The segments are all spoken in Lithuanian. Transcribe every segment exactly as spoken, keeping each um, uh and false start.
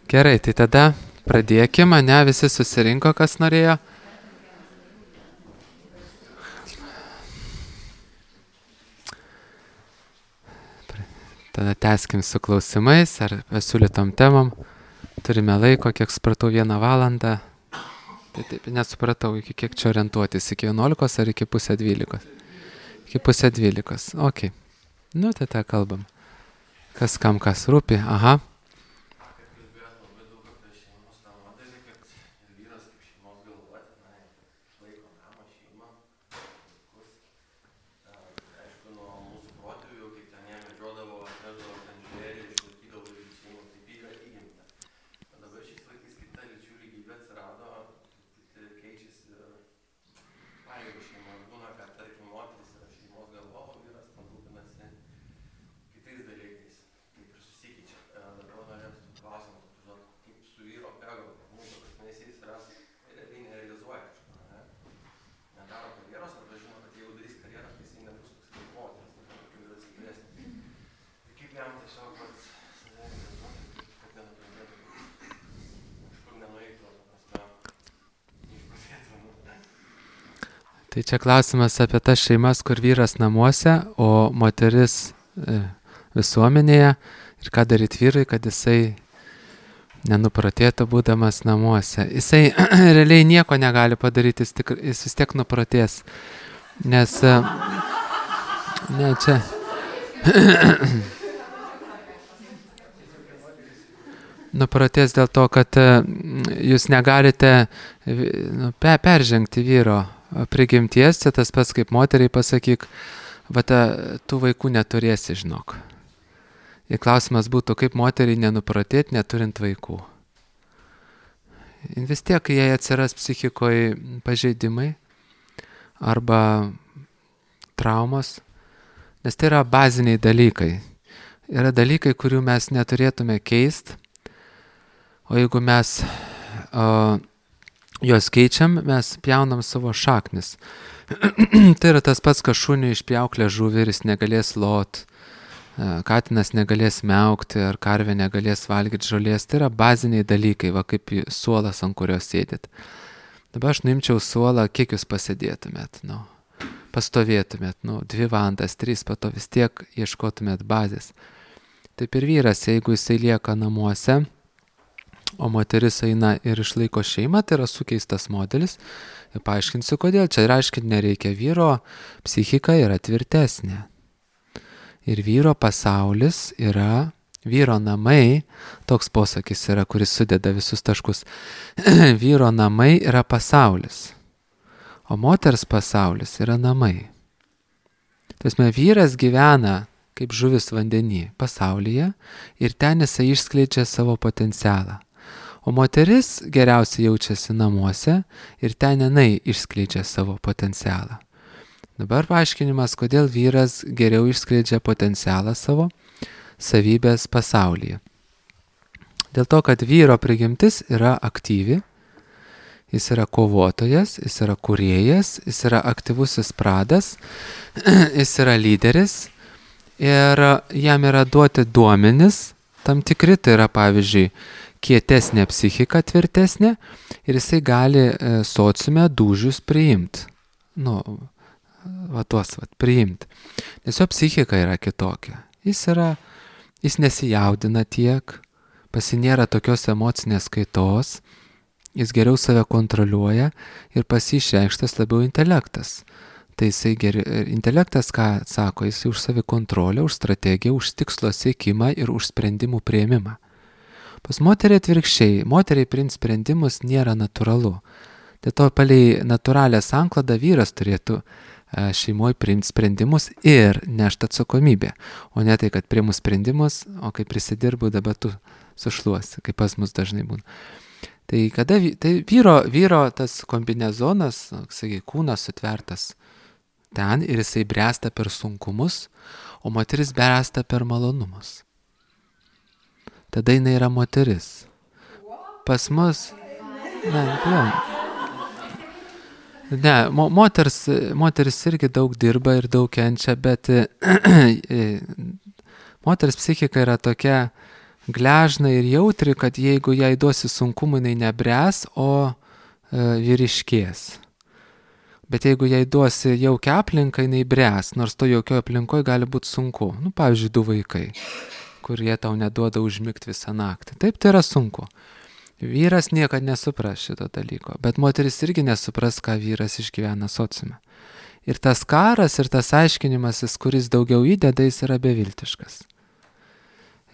Gerai, tai tada pradėkime, ne, visi susirinko, kas norėjo. Tada tęskim su klausimais ar pasiūlytom temom. Turime laiko, kiek supratau, vieną valandą. Tai taip, nesupratau, iki kiek čia orientuotis, iki vienuolikos ar iki pusę dvylikos. Iki pusę dvylikos, okei. Nu, tai tą kalbam. Kas kam kas rūpi, aha. Tai čia klausimas apie tas šeimas, kur vyras namuose, o moteris e, visuomenėje. Ir ką daryti vyrui, kad jisai nenupratėtų būdamas namuose. Jisai realiai nieko negali padaryti, jis, tik, jis vis tiek nupratės. Nes, e, ne, čia... nupratės dėl to, kad e, jūs negalite nu, pe, peržengti vyro prigimties, čia tas pats kaip moteriai pasakyk, va tų vaikų neturėsi, žinok. Ir klausimas būtų, kaip moteriai nenupratėti, neturint vaikų. Ir vis tiek jai atsiras psichikoje pažeidimai arba traumos, nes tai yra baziniai dalykai. Yra dalykai, kurių mes neturėtume keisti, o jeigu mes o, juos keičiam, mes pjaunam savo šaknis. Tai yra tas pats, kad šuniui išpjauklė žuvį ir jis negalės lot, katinas negalės miaukti ar karvė negalės valgyti žolės. Tai yra baziniai dalykai, va kaip suolas, ant kurios sėdit. Dabar aš nuimčiau suolą, kiek jūs pasėdėtumėt, nu, pastovėtumėt, nu, dvi valandas, trys, po to vis tiek ieškotumėt bazės. Taip ir vyras, jeigu jisai lieka namuose, o moteris eina ir išlaiko šeimą, tai yra sukeistas modelis. Ir paaiškinsiu, kodėl. Čia aiškinti nereikia. Vyro psichika yra tvirtesnė. Ir vyro pasaulis yra, vyro namai, toks posakis yra, kuris sudeda visus taškus. Vyro namai yra pasaulis, o moters pasaulis yra namai. Tasme, vyras gyvena kaip žuvis vandenį pasaulyje ir ten jisai išskleidžia savo potencialą. O moteris geriausiai jaučiasi namuose ir ten jinai išskleidžia savo potencialą. Dabar paaiškinimas, kodėl vyras geriau išskleidžia potencialą savo savybės pasaulyje. Dėl to, kad vyro prigimtis yra aktyvi, jis yra kovotojas, jis yra kūrėjas, jis yra aktyvusis pradas, jis yra lyderis ir jam yra duoti duomenis, tam tikri, tai yra pavyzdžiui, kietesnė psichika, tvirtesnė ir jisai gali e, sociume dūžius priimti. Nu, va tuos, va, priimti. Nes jo psichika yra kitokia. Jis yra, jis nesijaudina tiek, pasinėra tokios emocinės kaitos, jis geriau save kontroliuoja ir pasišreikštas labiau intelektas. Tai jisai geri, intelektas, ką sako, jisai už savikontrolę, už strategiją, už tikslo siekimą ir už sprendimų priėmimą. Pas moteriai atvirkščiai, moteriai priimti sprendimus nėra natūralu. Dėl to palei natūralią sanklodą vyras turėtų šeimoje priimti sprendimus ir nešti atsakomybę. O ne tai, kad priimu sprendimus, o kai prisidirbu, dabar tu sušluosi, kaip pas mus dažnai būna. Tai kada tai vyro, vyro tas kombinezonas, sakai, kūnas sutvertas ten ir jisai bręsta per sunkumus, o moteris bręsta per malonumus. Tada jinai yra moteris. Pas mus... Ne, ne, ne mo, moters, moteris irgi daug dirba ir daug kenčia, bet moters psichika yra tokia gležna ir jautri, kad jeigu jai duosi sunkumų, jinai nebręs, o e, vyriškės. Bet jeigu jai duosi jaukia aplinką, jinai bręs, nors to jaukio aplinkoje gali būti sunku. Nu, pavyzdžiui, du vaikai, kurie tau neduoda užmigti visą naktį. Taip, tai yra sunku. Vyras niekada nesupras šito dalyko, bet moteris irgi nesupras, ką vyras išgyvena sociume. Ir tas karas ir tas aiškinimasis, kuris daugiau įdeda, jis yra beviltiškas.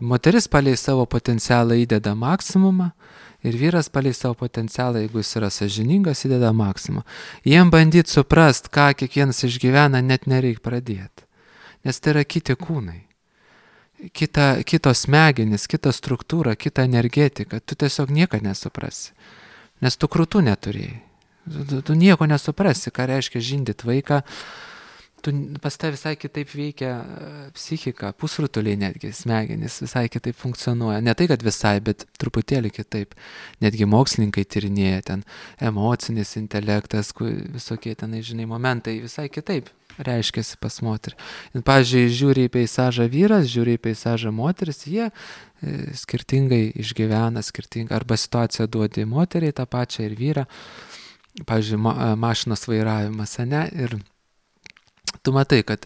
Moteris palei savo potencialą įdeda maksimumą ir vyras palei savo potencialą, jeigu jis yra sąžiningas, įdeda maksimumą. Jiem bandyti suprast, ką kiekvienas išgyvena, net nereik pradėti. Nes tai yra kiti kūnai. Kita, kitos smegenys, kita struktūra, kita energetika. Tu tiesiog nieko nesuprasi. Nes tu krūtų neturėjai. Tu, tu nieko nesuprasi, ką reiškia žindyti vaiką. Tu, pas tai visai kitaip veikia psichika, pusrutuliai netgi, smegenys visai kitaip funkcionuoja. Ne tai, kad visai, bet truputėlį kitaip. Netgi mokslininkai tyrinėja ten emocinis intelektas, visokie tenai, žinai, momentai visai kitaip reiškiasi pas moterį. Pavyzdžiui, žiūri į peizažą vyras, žiūri į peizažą moteris, jie e, skirtingai išgyvena, skirtingai, arba situaciją duodi moteriai tą pačią ir vyrą. Pavyzdžiui, ma, mašinos vairavimas, ne? Ir tu matai, kad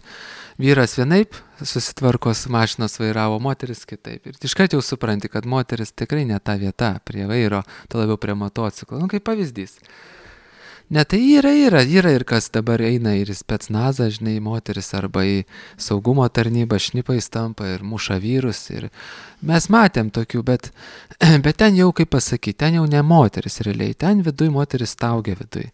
vyras vienaip susitvarko su mašinos vairavo, moteris kitaip. Ir iškart jau supranti, kad moteris tikrai ne ta vieta prie vairo, to labiau prie motociklo. Nu, kaip pavyzdys. Ne, tai yra, yra, yra ir kas dabar eina ir į specnazą, žinai, moteris arba į saugumo tarnybą, šnipais tampa ir muša vyrus. Ir mes matėm tokių, bet, bet ten jau, kaip pasakyti, ten jau ne moteris realiai, ten viduj moteris staugia viduj.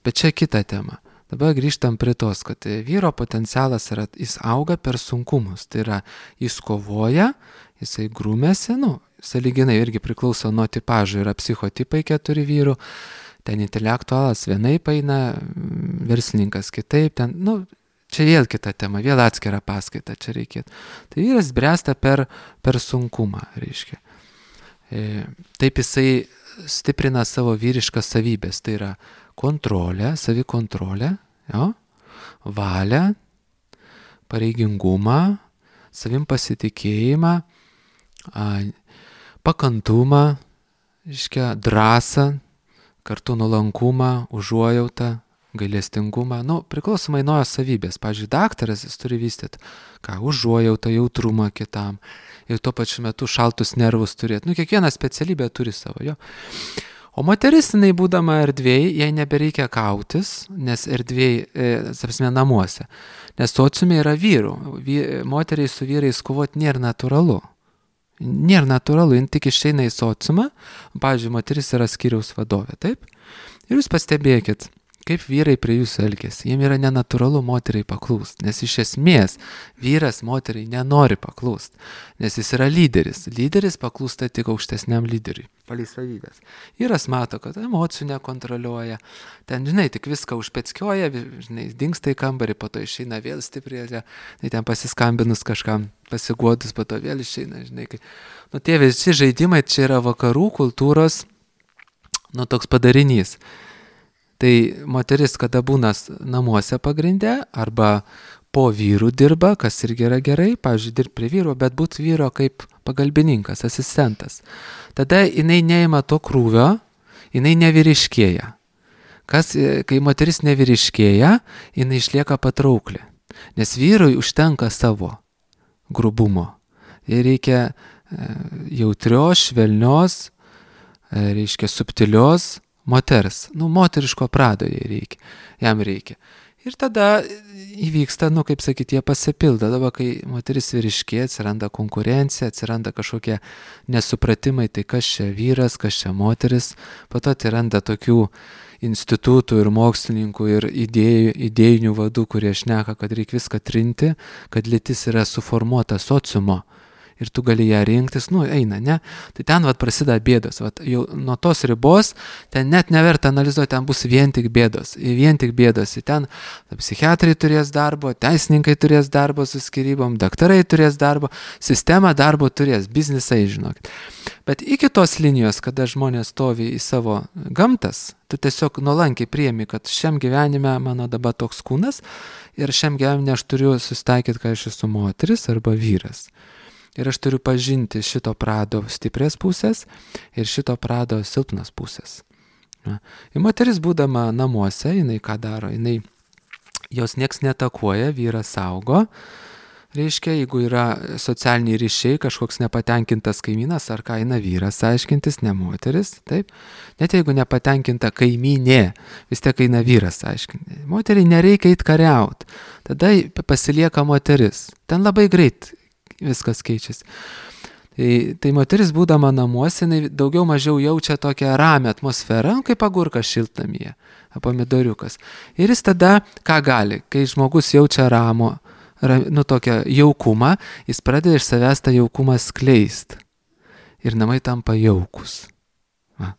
Bet čia kita tema. Dabar grįžtam prie tos, kad vyro potencialas yra, jis auga per sunkumus. Tai yra, jis kovoja, jisai grūmėsi, nu, sąlyginai irgi priklauso nuo tipažų, yra psichotipai keturi vyrų. Ten intelektualas vienaip eina, verslininkas kitaip, ten, nu, čia vėl kita tema, vėl atskira paskaita čia reikėtų. Tai vyras bręsta per, per sunkumą, reiškia. E, taip jisai stiprina savo vyriškas savybės, tai yra kontrolę, savikontrolę, jo, valią, pareigingumą, savim pasitikėjimą, a, pakantumą, reiškia, drąsą, kartu nuolankumą, užuojautą, gailestingumą, nu, priklausomai nuo savybės. Pavyzdžiui, daktaras jis turi vystyti, ką, užuojautą, jautrumą kitam ir tuo pačiu metu šaltus nervus turėti. Nu, kiekviena specialybė turi savo, jo. O moteris, jinai būdama erdvėj, jai nebereikia kautis, nes erdvėj, e, sapsime, namuose. Nes sociume yra vyrų. Vy, moteriai su vyrais kovoti nėra natūralu. Nėra natūralu, jin tik išeina į sociumą, pavyzdžiui, moteris yra skyriaus vadovė, taip? Ir jūs pastebėkit, kaip vyrai prie jūsų elgiasi. Jiem yra nenatūralu moteriai paklūst, nes iš esmės vyras moteriai nenori paklūst, nes jis yra lyderis. Lyderis paklūsta tik aukštesniam lyderiui, palei savybės. Vyras mato, kad emocijų nekontroliuoja, ten, žinai, tik viską užpeckioja, žinai, dingsta į kambarį, po to išeina vėl stiprėlė, tai ten pasiskambinus kažkam, pasiguodus, po to vėl išeina, žinai. Kai... Nu, tie visi žaidimai čia yra vakarų kultūros, nu, toks padarinys. Tai moteris, kada būna namuose pagrinde, arba po vyrų dirba, kas irgi yra gerai, pavyzdžiui, dirbti prie vyro, bet būti vyro kaip pagalbininkas, asistentas. Tada jinai neima to krūvio, jinai nevyriškėja. Kas, kai moteris nevyriškėja, jinai išlieka patraukli. Nes vyrui užtenka savo grubumo. Jai reikia jautrios, švelnios, reiškia subtilios moters. Nu, moteriško prado jai reikia, jam reikia. Ir tada įvyksta, nu, kaip sakyti, jie pasipildo. Dabar, kai moteris vyriškėja, atsiranda konkurencija, atsiranda kažkokie nesupratimai, tai kas čia vyras, kas čia moteris. Po to atsiranda tokių institutų ir mokslininkų ir idėjų, idėjinių vadų, kurie šneka, kad reikia viską trinti, kad lytis yra suformuota sociumo. Ir tu gali ją rinktis, nu, eina, ne? Tai ten, vat, prasideda bėdos, vat, jau nuo tos ribos, ten net neverta analizuoti, ten bus vien tik bėdos, vien tik bėdos, ir ten psichiatrai turės darbo, teisininkai turės darbo su skyrybom, daktarai turės darbo, sistema darbo turės, biznisai, žinokit. Bet iki tos linijos, kada žmonės stovi į savo gamtas, tu tiesiog nuolankiai priemi, kad šiam gyvenime mano dabar toks kūnas ir šiam gyvenime aš turiu susitaikyti, kad aš esu moteris arba vyras. Ir aš turiu pažinti šito prado stiprias pusės ir šito prado silpnas pusės. Na. Ir moteris būdama namuose, jinai ką daro, jinai jos nieks netakuoja, vyras saugo. Reiškia, jeigu yra socialiniai ryšiai, kažkoks nepatenkintas kaimynas, ar ką eina vyras aiškintis, ne moteris, taip. Net jeigu nepatenkinta kaimynė, vis tiek eina vyras aiškinti. Moteriai nereikia eit kariaut, tada pasilieka moteris. Ten labai greit viskas keičiasi. Tai, tai moteris būdama namuose, jinai daugiau mažiau jaučia tokią ramią atmosferą, kaip agurkas šiltnamyje, pomidoriukas. Ir jis tada, ką gali, kai žmogus jaučia ramų, nu tokią jaukumą, jis pradeda iš savęs tą jaukumą skleist. Ir namai tampa jaukus. Va.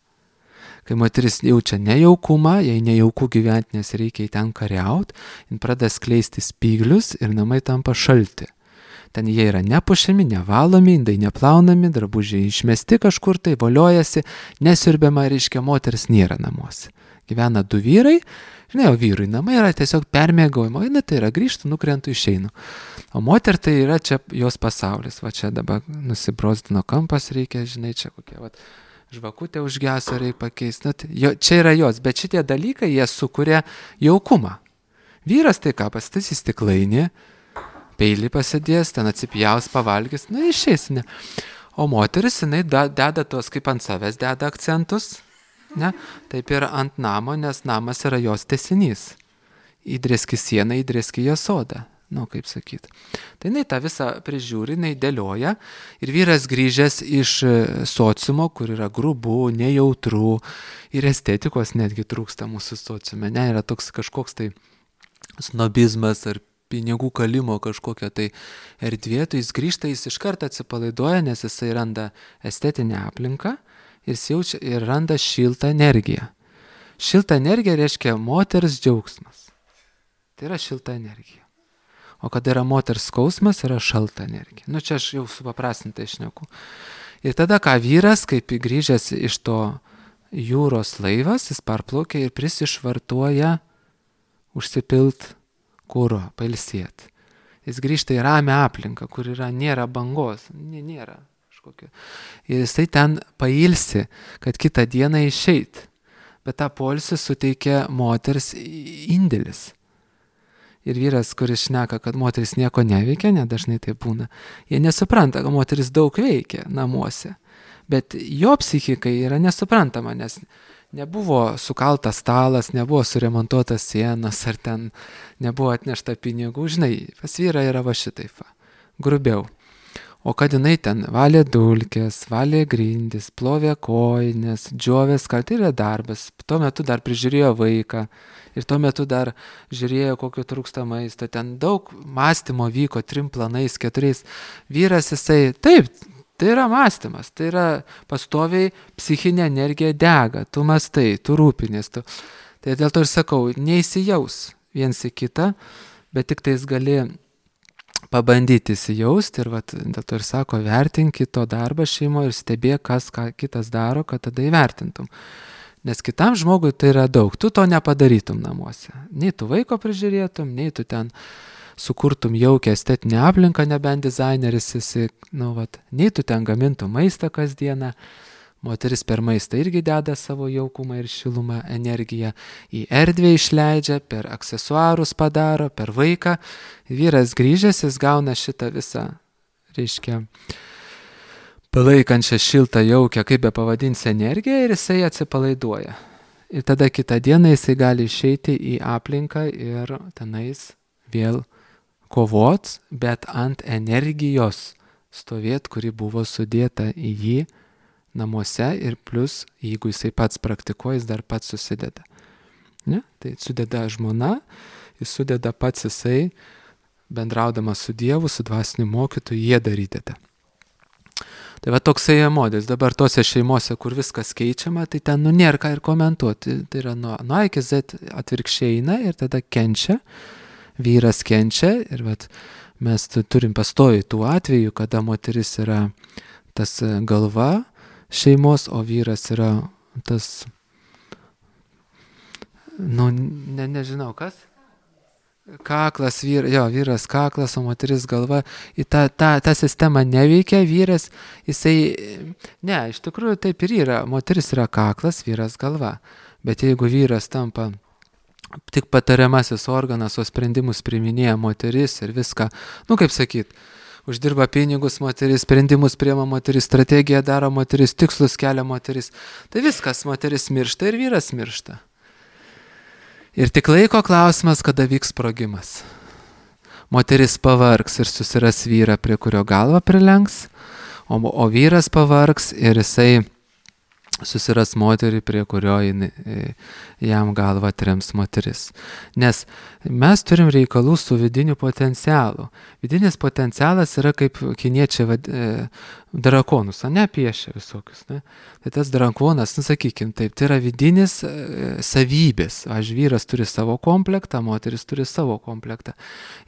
Kai moteris jaučia nejaukumą, jai nejauku gyventi, nes reikia į ten kariaut, jin pradeda skleisti spyglius ir namai tampa šalti. Ten jie yra nepušiami, nevalomi, indai neplaunami, drabužiai išmesti kažkur, tai voliojasi, nesiurbiama, reiškia, moteris nėra namuose. Gyvena du vyrai, žinai, o vyrui namai yra tiesiog permėgojimo, na tai yra grįžtų, nukrentų, išeinu. O moter tai yra čia jos pasaulis, va čia dabar nusibrozdino kampas reikia, žinai, čia kokia, va, žvakutė užgeso reikia pakeisti, na, tai, jo, čia yra jos, bet šitie dalykai, jie sukuria jaukumą. Vyras tai ką, pasistatys stiklainį, peilį pasidės, ten atsipjaus, pavalgys, na išeis, ne. O moteris, jinai da, deda tos, kaip ant savęs deda akcentus, ne, taip ir ant namo, nes namas yra jos tęsinys. Įdrėski sieną, įdrėski jos sodą, nu kaip sakyti. Tai jinai tą visą prižiūri, jinai dėlioja ir vyras grįžęs iš sociumo, kur yra grubu, nejautru ir estetikos netgi trūksta mūsų sociume, ne, yra toks kažkoks tai snobizmas ar pinigų kalimo kažkokia tai erdvė, tai jis grįžta, jis iš karto atsipalaiduoja, nes jisai randa estetinę aplinką ir jis jaučia ir randa šiltą energiją. Šilta energija reiškia moters džiaugsmas. Tai yra šilta energija. O kada yra moters skausmas, yra šalta energija. Nu čia aš jau supaprastintai šneku. Ir tada ką vyras, kaip grįžęs iš to jūros laivas, jis parplaukia ir prisišvartuoja užsipilt kuro, pailsėti. Jis grįžta į ramią aplinką, kur yra, nėra bangos, nėra kažkokio. Ir jisai ten pailsi, kad kitą dieną išeit. Bet tą poilsį suteikia moters indėlis. Ir vyras, kuris šneka, kad moteris nieko neveikia, nedažnai tai būna, jie nesupranta, kad moteris daug veikia namuose. Bet jo psichikai yra nesuprantama, nes nebuvo sukaltas stalas, nebuvo suremontuotas sienas, ar ten nebuvo atnešta pinigų. Žinai, pas vyrą yra va šitaip, va, grubiau. O kad jinai ten valė dulkės, valė grindis, plovė kojines, džiovės, kad tai yra darbas. Tuo metu dar prižiūrėjo vaiką ir tuo metu dar žiūrėjo, kokio trūksta maisto. Ten daug mąstymo vyko, trim planais, keturiais. Vyras jisai, taip, tai yra mąstymas, tai yra pastoviai psichinė energija dega, tu mąstai, tu rūpinės. Tu... Tai dėl to ir sakau, neįsijaus viens į kitą, bet tik tais gali pabandyti įsijausti ir vat, dėl to ir sako, vertink kito darbą šeimoje ir stebėk, kas ką kitas daro, kad tada įvertintum. Nes kitam žmogui tai yra daug, tu to nepadarytum namuose. Nei tu vaiko prižiūrėtum, nei tu ten sukurtum jaukę estetinę aplinką, nebent dizaineris esi, nu, vat, nei tu ten gamintum maistą kasdieną, moteris per maistą irgi deda savo jaukumą ir šilumą, energiją, į erdvę išleidžia, per aksesuarus padaro, per vaiką, vyras grįžęs, jis gauna šitą visą, reiškia, palaikančią šiltą jaukę, kaip be pavadinsi energiją ir jisai atsipalaiduoja. Ir tada kitą dieną jisai gali išeiti į aplinką ir tenais vėl kovot, bet ant energijos stovėt, kuri buvo sudėta į jį namuose ir plus, jeigu jisai pats praktikuoja, jis dar pats susideda. Ne? Tai sudeda žmona, jis sudeda pats jisai, bendraudamas su Dievu, su dvasiniu mokytoju, jie darydeda. Tai va toksai modelis. Dabar tose šeimose, kur viskas keičiama, tai ten nu nėra ką ir komentuoti. Tai yra nuo, nuo A iki Z atvirkščiai eina ir tada kenčia. Vyras kenčia ir vat, mes turim pastovi tų atvejų, kada moteris yra tas galva šeimos, o vyras yra tas, nu, ne, nežinau kas, kaklas, vyr, jo, vyras kaklas, o moteris galva, į tą, tą, tą sistemą neveikia, vyras, jisai, ne, iš tikrųjų taip ir yra, moteris yra kaklas, vyras galva, bet jeigu vyras tampa tik patariamasis organas, o sprendimus priiminėja moteris ir viską, nu kaip sakyt, uždirba pinigus moteris, sprendimus priima moteris, strategiją daro moteris, tikslus kelia moteris, tai viskas, moteris miršta ir vyras miršta. Ir tik laiko klausimas, kada vyks sprogimas. Moteris pavargs ir susiras vyrą, prie kurio galvą prilenks, o, o vyras pavargs ir jisai susiras moterį, prie kurio jam galvą trems moteris. Nes mes turim reikalų su vidiniu potencialu. Vidinis potencialas yra kaip kiniečiai vad, e, drakonus, ne piešia visokius. Ne? Tai tas drakonas, nu sakykim taip, tai yra vidinis e, savybės. Aš vyras turi savo komplektą, moteris turi savo komplektą.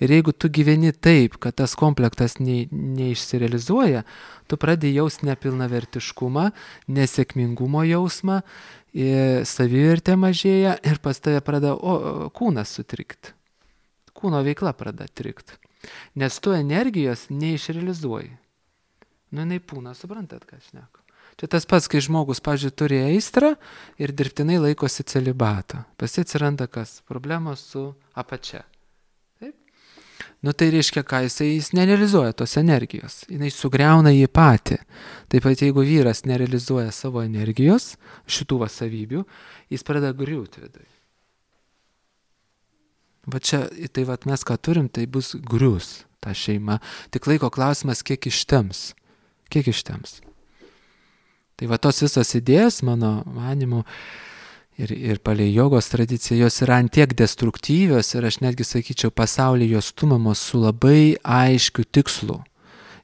Ir jeigu tu gyveni taip, kad tas komplektas ne, neišsirealizuoja, tu pradedi jausti nepilnavertiškumą, nesėkmingumo jausmą, savivertė mažėja ir pas tave pradeda o, kūnas sutrikti. Kūno veikla pradeda trikti. Nes tu energijos neišrealizuoji. Nu, jinai pūna, suprantat, ką aš šneku. Čia tas pats, kai žmogus, pavyzdžiui, turi aistrą ir dirbtinai laikosi celibato. Pas jį atsiranda kas? Problemos su apačia. Nu tai reiškia, ką jisai, jis nerealizuoja tos energijos, jinai sugriauna jį patį. Taip pat jeigu vyras nerealizuoja savo energijos, šitų va savybių, jis pradeda griūti viduje. Va čia, tai va mes ką turim, tai bus grius ta šeima. Tik laiko klausimas, kiek ištems. Kiek ištems. Tai va tos visos idėjos, mano manimu, Ir, ir palei jogos tradiciją, jos yra antiek destruktyvios ir aš netgi sakyčiau, pasaulyje jos stumamos su labai aiškiu tikslu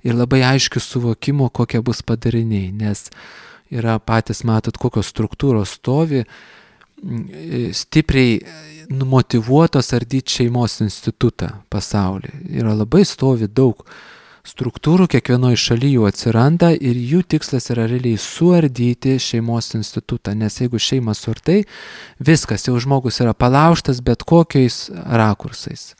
ir labai aiškiu suvokimu, kokie bus padariniai, nes yra patys matot, kokios struktūros stovi, stipriai numotyvuotos ardyti šeimos institutą pasaulyje. Yra labai stovi daug struktūrų, kiekvienoje šalyje jų atsiranda ir jų tikslas yra realiai suardyti šeimos institutą, nes jeigu šeima suardai, viskas, jau žmogus yra palaužtas bet kokiais rakursais.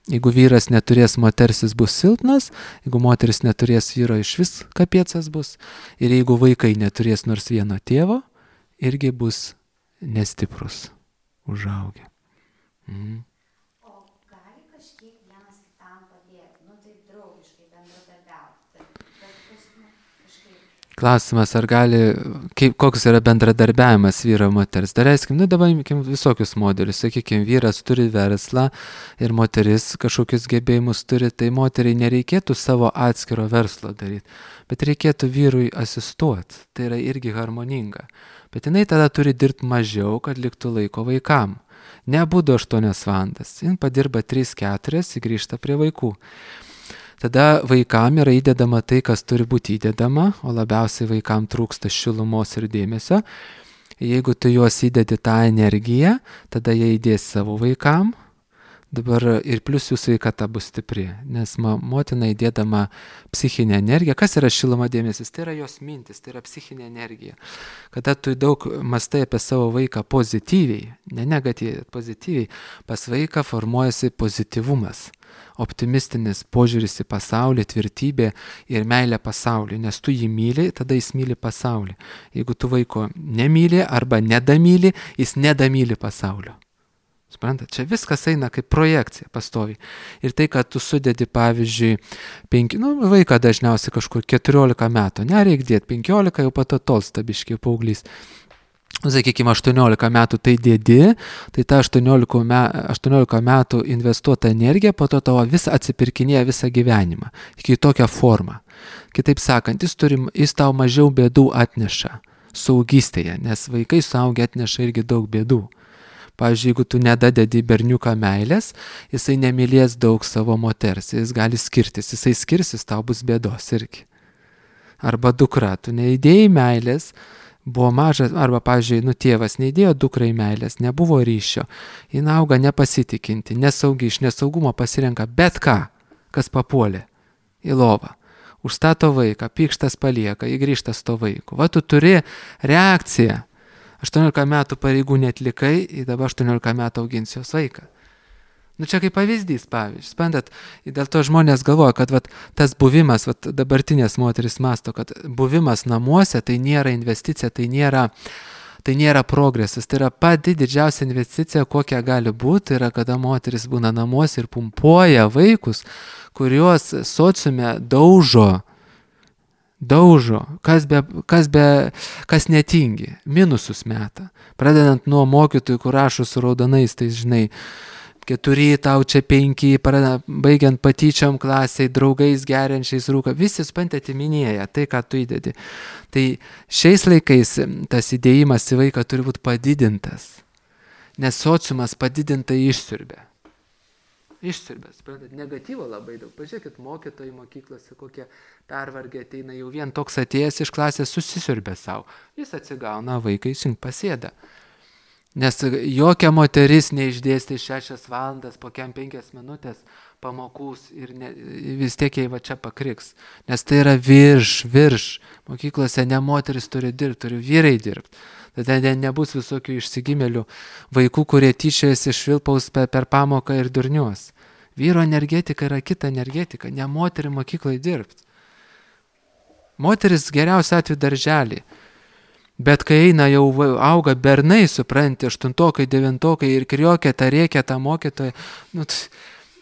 Jeigu vyras neturės moters, jis bus silpnas, jeigu moteris neturės vyro, iš vis kapiecas bus, ir jeigu vaikai neturės nors vieno tėvo, irgi bus nestiprus užaugę. Mhm. Klausimas, ar gali, kaip, koks yra bendradarbiavimas vyro moters. Dar eskim, nu dabar imkim visokius modelius. Sakykime, vyras turi verslą ir moteris kažkokius gebėjimus turi, tai moteriai nereikėtų savo atskiro verslo daryti, bet reikėtų vyrui asistuoti. Tai yra irgi harmoninga. Bet jinai tada turi dirbti mažiau, kad liktų laiko vaikam. Nebūdu aštuonias valandas. Jin padirba tris keturias, grįžta prie vaikų. Tada vaikam yra įdedama tai, kas turi būti įdedama, o labiausiai vaikam trūksta šilumos ir dėmesio. Jeigu tu juos įdedi tą energiją, tada jie įdės savo vaikam. Dabar ir plus jų sveikata bus stipri, nes motina įdėdama psichinę energiją. Kas yra šiluma dėmesis? Tai yra jos mintis, tai yra psichinė energija. Kada tu daug mastai apie savo vaiką pozityviai, ne negatyviai, pozityviai, pas vaiką formuojasi pozityvumas. Optimistinis požiūris į pasaulį, tvirtybė ir meilė pasauliui, nes tu jį myli, tada jis myli pasaulį. Jeigu tu vaiko nemyli arba nedamyli, jis nedamyli pasaulio. Suprantat, čia viskas eina kaip projekcija pastoviai. Ir tai, kad tu sudedi, pavyzdžiui, penki, nu, vaiką dažniausiai kažkur keturiolika metų, nereik dėti, penkiolika jau pato tolsta biškiai paauglys. Sakykime, aštuoniolika metų tai dėdi, tai ta aštuoniolika metų investuota energija po to tavo vis atsipirkinėja visą gyvenimą, iki tokią formą. Kitaip sakant, jis, turi, jis tau mažiau bėdų atneša saugystėje, nes vaikai suaugę atneša irgi daug bėdų. Pavyzdžiui, jeigu tu nedadedi berniuką meilės, jisai nemylės daug savo moters, jis gali skirtis, jisai skirsis, tau bus bėdos irgi. Arba dukra, tu neįdėjai meilės, buvo mažas, arba, pavyzdžiui, nu tėvas neįdėjo dukrai meilės, nebuvo ryšio, jin auga nepasitikinti, nesaugi, iš nesaugumo pasirenka bet ką, kas papuolė į lovą. Užstato vaiką, pykštas palieka, įgrįžta su to vaiku. Va, tu turi reakciją. aštuoniolika metų pareigų netlikai, ir dabar aštuoniolika metų augins jos vaiką. Nu čia kaip pavyzdys, pavyzdžiui, suprantat, dėl to žmonės galvoja, kad vat, tas buvimas, vat, dabartinės moteris masto, kad buvimas namuose tai nėra investicija, tai nėra, tai nėra progresas, tai yra pati didžiausia investicija, kokia gali būti, tai yra kada moteris būna namuose ir pumpuoja vaikus, kuriuos sociume daužo, daužo, kas, be, kas, be, kas netingi, minusus meta, pradedant nuo mokytojų, kur rašo su raudonais, tai žinai, keturi, tau čia penki, baigiant patyčiom klasiai, draugais geriančiais rūką, visi spant atiminėja tai, ką tu įdedi. Tai šiais laikais tas įdėjimas į vaiką turi būti padidintas, nes sociumas padidintai išsiurbė. Išsiurbė, suprantat, negatyvo labai daug. Pažiūrėkit, mokytojai mokyklose kokie pervargę ateina, jau vien toks atėjęs iš klasės susisiurbė savo. Jis atsigauna, vaikai sink pasėda. Nes jokia moteris neišdėstė šešias valandas, po kem penkias minutės pamokus ir ne, vis tiek jai va čia pakriks. Nes tai yra virš, virš. Mokyklose ne moteris turi dirbti, turi vyrai dirbti. Tada ne, nebus visokių išsigimėlių vaikų, kurie tyčiojasi iš Vilpaus per, per pamoką ir durniuos. Vyro energetika yra kita energetika, ne moterį mokyklai dirbti. Moteris geriausia atveju darželį. Bet kai eina jau auga bernai, supranti, aštuntokai, devintokai ir kriokia tą rėkia tą mokytoją, nu,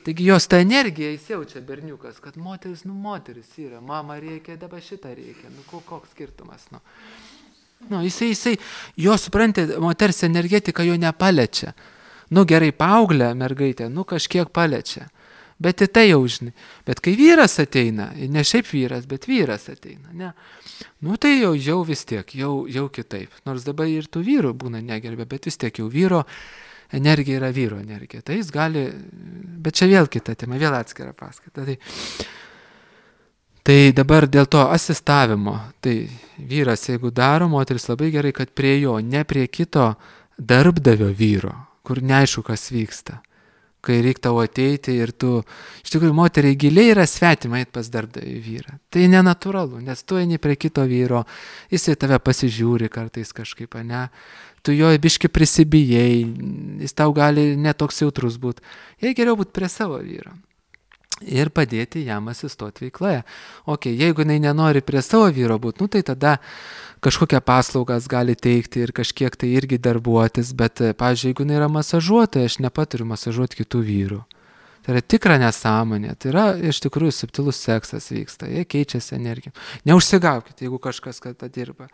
taigi jos tą energiją įsiaučia berniukas, kad moteris, nu moteris yra, mama rėkia, dabar šitą rėkia, nu koks skirtumas, nu. Nu, jisai, jisai, jo supranti, moters energetika jo nepaliečia. Nu gerai, paauglę mergaitę, nu kažkiek paliečia. Bet į tai jau žinai. Bet kai vyras ateina, ne šiaip vyras, bet vyras ateina, ne. Nu tai jau, jau vis tiek, jau, jau kitaip. Nors dabar ir tų vyrų būna negerbė, bet vis tiek jau vyro energija yra vyro energija. Tai jis gali, bet čia vėl kita tema, vėl atskira paskaita. Tai, tai dabar dėl to asistavimo, tai vyras jeigu daro, moteris labai gerai, kad prie jo, ne prie kito darbdavio vyro, kur neaišku, kas vyksta. Kai reikia tau ateiti ir tu, iš tikrųjų, moteriai giliai yra svetima eit pas darbdavį vyrą. Tai nenatūralu, nes tu eini prie kito vyro, jis į tave pasižiūri kartais kažkaip, ne? Tu jo biški prisibijai, jis tau gali netoks jautrus būti. Jei geriau būti prie savo vyro ir padėti jam asistoti veikloje. Ok, jeigu jinai nenori prie savo vyro būti, nu tai tada kažkokią paslaugas gali teikti ir kažkiek tai irgi darbuotis, bet, pavyzdžiui, jeigu jinai yra masažuotoja, aš nepaturiu masažuoti kitų vyrų. Tai yra tikra nesąmonė, tai yra iš tikrųjų subtilus seksas vyksta, jie keičiasi energijom. Neužsigaukite, jeigu kažkas kada dirba.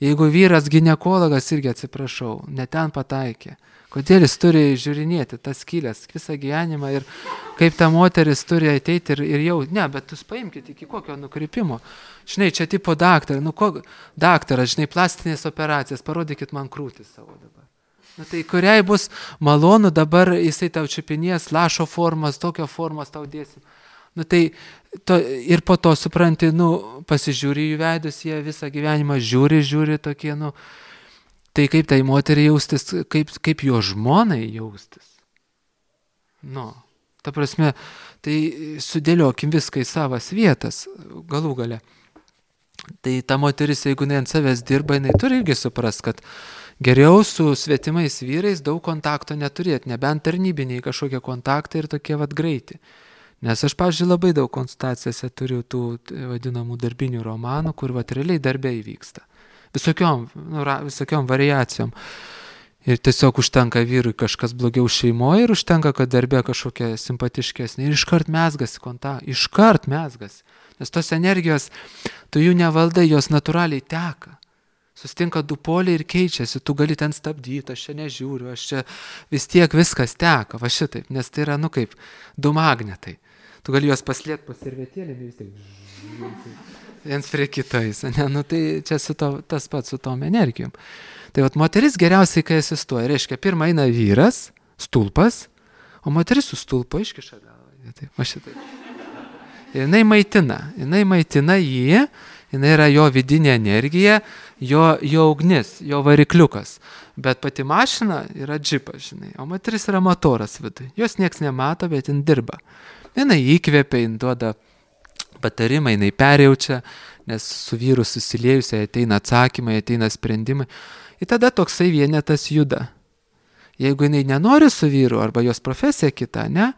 Jeigu vyras ginekologas, irgi atsiprašau, ne ten pataikė. Kodėl jis turi žiūrinėti tas skylės visą gyvenimą ir kaip ta moteris turi ateiti ir, ir jau, ne, bet jūs paimkite iki kokio nukrypimo. Žinai, čia tipo daktaras, nu ko, daktaras, žinai, plastinės operacijas, parodykit man krūtį savo dabar. Nu tai kuriai bus malonu dabar jisai tau čiupinės, lašo formas, tokio formas tau dėsim. Nu tai to, ir po to supranti, nu, pasižiūri jų veidus, jie visą gyvenimą žiūri, žiūri tokie, nu, tai kaip tai moteriai jaustis, kaip, kaip jo žmonai jaustis. Nu, ta prasme, tai sudėliokim viską į savas vietas, galų gale. Tai ta moteris, jeigu jinai ant savęs dirba, jinai turi irgi suprast, kad geriau su svetimais vyrais daug kontakto neturėti, nebent tarnybiniai kažkokie kontaktai ir tokie vat greiti. Nes aš, pavyzdžiui, labai daug konsultacijose turiu tų vadinamų darbinių romanų, kur vat realiai darbė įvyksta. Visokiom, nu, visokiom variacijom. Ir tiesiog užtenka vyrui kažkas blogiau šeimoje ir užtenka, kad darbė kažkokia simpatiškesnė. Ir iškart mezgasi kontaktą, iškart mezgasi. Nes tos energijos, tu jų nevaldai, jos natūraliai teka. Sustinka du poliai ir keičiasi, tu gali ten stabdyti, aš čia nežiūriu, aš čia vis tiek viskas teka, va šitaip. Nes tai yra, nu kaip, du magnetai. Tu gali juos paslėpti po servetėlėm ir vis tiek... viens prie kitais, ne, nu tai čia su to, tas pats su tom energijom. Tai vat moteris geriausiai, kai asistuoja, reiškia, pirmą eina vyras, stulpas, o moteris su stulpo iškiša galvą. Taip, va šitai. Ir jinai maitina, jinai maitina jį, jinai yra jo vidinė energija, jo, jo ugnis, jo varikliukas. Bet pati mašina yra džipas, žinai, o moteris yra motoras vidui. Jos nieks nemato, bet jin dirba. Jinai įkvėpia, jin duoda patarimai, jinai perjaučia, nes su vyru susiliejusiai ateina atsakymai, ateina sprendimai. Ir tada toksai vienetas juda. Jeigu jinai nenori su vyru arba jos profesija kita, ne,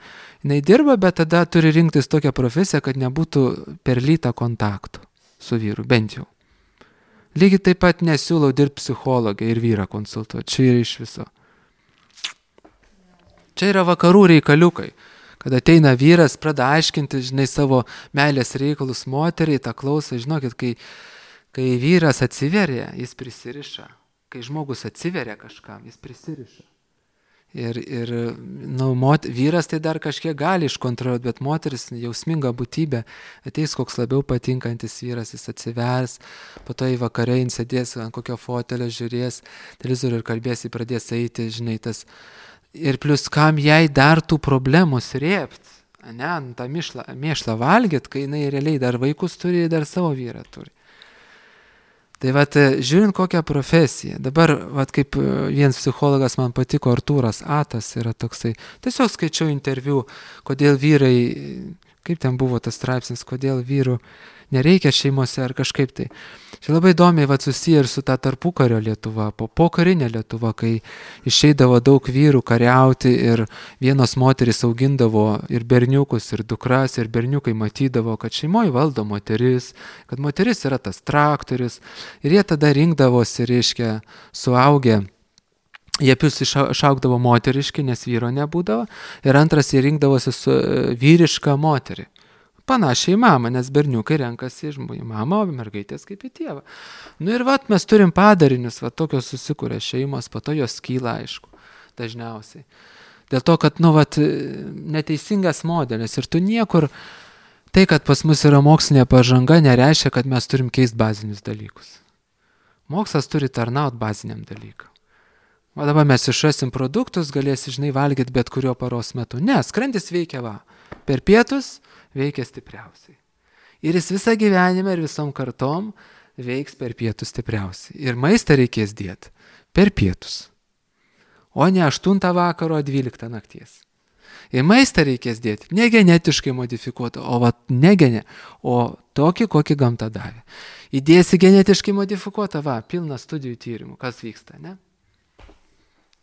jinai dirba, bet tada turi rinktis tokią profesiją, kad nebūtų per lytą kontaktų su vyru, bent jau. Lygiai taip pat nesiūlau dirbti psichologą ir vyrą konsultuoti, čia yra iš viso. Čia yra vakarų reikaliukai, kad ateina vyras, pradeda aiškinti, žinai, savo meilės reikalus moteriai, tą klausą, žinokit, kai, kai vyras atsiveria, jis prisiriša. Kai žmogus atsiveria kažkam, jis prisiriša. Ir, ir nu, mot, vyras tai dar kažkiek gali iškontroliuoti, bet moteris jausminga būtybė, ateis koks labiau patinkantis vyras, jis atsivers, po to į vakarą jis sėdės ant kokio fotelio, žiūrės televizorių ir kalbės, jį pradės eiti, žinai, tas. Ir plus kam jai dar tų problemų srėpt, ne, tą mėšlą, mėšlą valgyt, kai jinai realiai dar vaikus turi, dar savo vyrą turi. Tai vat, žiūrint kokią profesiją, dabar, vat, kaip vienas psichologas man patiko, Artūras Atas yra toksai, tiesiog skaičiau interviu, kodėl vyrai, kaip ten buvo tas straipsnis, kodėl vyrų nereikia šeimose ar kažkaip tai. Čia labai įdomiai vat, susiję ir su ta tarpukario Lietuva, po pokarinė Lietuva, kai išeidavo daug vyrų kariauti ir vienos moterys augindavo ir berniukus, ir dukras, ir berniukai matydavo, kad šeimoje valdo moteris, kad moteris yra tas traktorius ir jie tada rinkdavosi, reiškia, suaugę. Jie pius išaugdavo moteriški, nes vyro nebūdavo, ir antras jie rinkdavosi su vyriška moterį. Panašiai į mamą, nes berniukai renkasi iš mamą, o mergaitės kaip į tėvą. Nu ir vat mes turim padarinius, vat tokios susikūrė šeimos, po to jos kyla, aišku, dažniausiai. Dėl to, kad, nu, vat, neteisingas modelis ir tu niekur, tai, kad pas mus yra mokslinė pažanga, nereiškia, kad mes turim keisti bazinius dalykus. Mokslas turi tarnauti baziniam dalykam. O dabar mes išrasim produktus, galėsi, žinai, valgyti bet kurio paros metu. Ne, skrandis veikia va, per pietus, veikia stipriausiai. Ir jis visą gyvenimą ir visom kartom veiks per pietus stipriausiai. Ir maistą reikės dėti per pietus. O ne aštuntą vakaro, dvyliktą nakties. Ir maistą reikės dėti ne genetiškai modifikuotą, o vat, ne gene, o tokį, kokį gamta davė. Įdėsi genetiškai modifikuotą, va, pilna studijų tyrimų, kas vyksta, ne?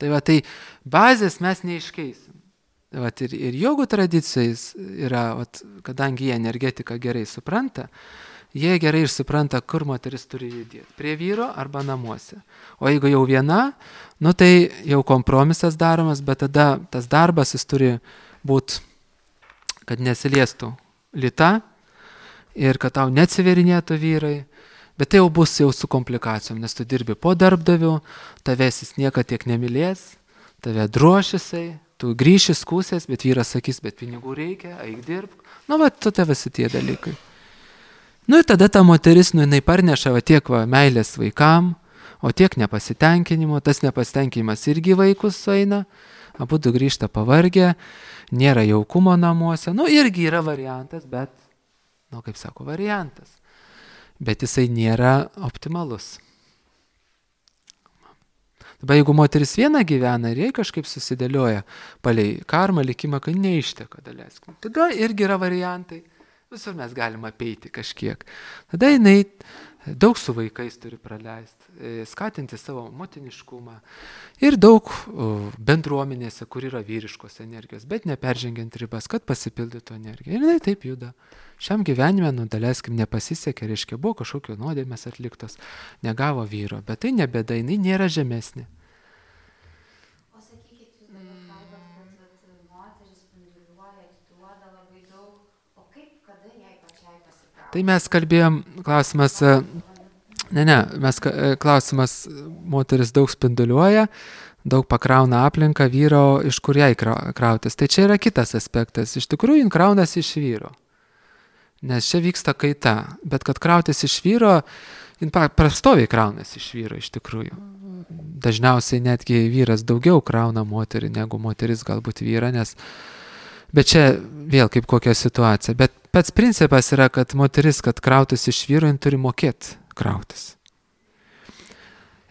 Tai va, tai bazės mes neiškeisim. Vat ir, ir jogų tradicijais yra, vat, kadangi jie energetiką gerai supranta, jie gerai ir supranta, kur moteris turi judėti. Prie vyro arba namuose. O jeigu jau viena, nu tai jau kompromisas daromas, bet tada tas darbas jis turi būti, kad nesiliestų lyta ir kad tau neatsiverinėtų vyrai. Bet tai jau bus jau su komplikacijom, nes tu dirbi po darbdavių, tavęs jis niekad tiek nemylės, tave drošisai, tu grįši skūsės, bet vyras sakys, bet pinigų reikia, eik dirbk. Nu, va, tu te visi tie dalykai. Nu, ir tada ta moteris, nu, jinai parneša va, tiek va, meilės vaikam, o tiek nepasitenkinimo, tas nepasitenkinimas irgi vaikus sueina, abudu grįžta pavargę, nėra jaukumo namuose, nu, irgi yra variantas, bet, nu, kaip sako, variantas. Bet jisai nėra optimalus. Dabar jeigu moteris viena gyvena ir jai kažkaip susidėlioja palei karmą, likimą, kad neišteka daleiskim, tada irgi yra variantai, visur mes galime apeiti kažkiek. Tada jinai daug su vaikais turi praleisti, skatinti savo motiniškumą ir daug bendruomenėse, kur yra vyriškos energijos, bet neperžengiant ribas, kad pasipildytų energiją. Ir jinai taip juda. Šiam gyvenime, nu, daleiskim, nepasisekė, reiškia, buvo kažkokio nuodėmės atliktos, negavo vyro, bet tai nebėda, jinai nėra žemesnė. O sakykit, jūs dabar kalbat, kad moteris spinduliuoja, atiduoda labai daug, o kaip, kada jai pačiai pasikrauti? Tai mes kalbėjom, klausimas, ne, ne, mes klausimas, moteris daug spinduliuoja, daug pakrauna aplinką vyro, iš kur jai krautis. Tai čia yra kitas aspektas, iš tikrųjų, jin kraunasi iš vyro. Nes čia vyksta kaita, bet kad krautis iš vyro, jin prastoviai kraunasi iš vyro iš tikrųjų. Dažniausiai netgi vyras daugiau krauna moterį, negu moteris galbūt vyrą, nes, bet čia vėl kaip kokia situacija. Bet pats principas yra, kad moteris, kad krautis iš vyro, jin turi mokėti krautis.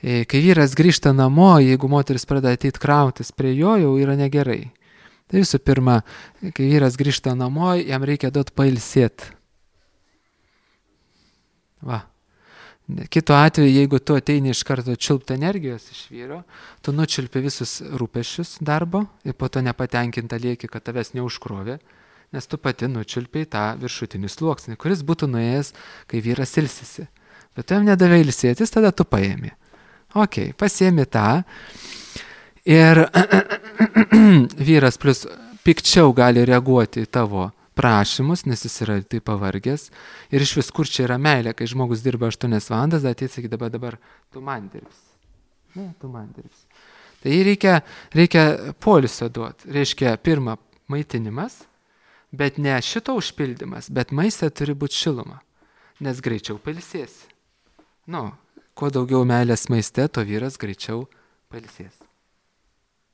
Kai vyras grįžta namo, jeigu moteris pradeda ateiti krautis prie jo, jau yra negerai. Tai visų pirma, kai vyras grįžta namo, jam reikia duoti pailsėti. Va. Kitu atveju, jeigu tu ateini iš karto čiulpti energijos iš vyro, tu nučiulpi visus rūpesčius darbo ir po to nepatenkinta lieki, kad tavęs neužkrovė, nes tu pati nučiulpiai tą viršutinį sluoksnį, kuris būtų nuėjęs, kai vyras ilsisi. Bet tu jam nedavai ilsėtis, tada tu paėmė. Ok, pasiėmė tą ir vyras plus pikčiau gali reaguoti į tavo prašymus, nes jis yra taip pavargęs. Ir iš vis kur čia yra meilė, kai žmogus dirba aštuonias valandas, ateit sakyti, dabar, dabar tu man dirbsi. Ne, tu man dirbsi. Tai reikia, reikia poilsio duoti. Reiškia, pirma, maitinimas, bet ne šito užpildymas, bet maiste turi būti šiluma, nes greičiau pailsėsi. Nu, kuo daugiau meilės maiste, to vyras greičiau pailsės.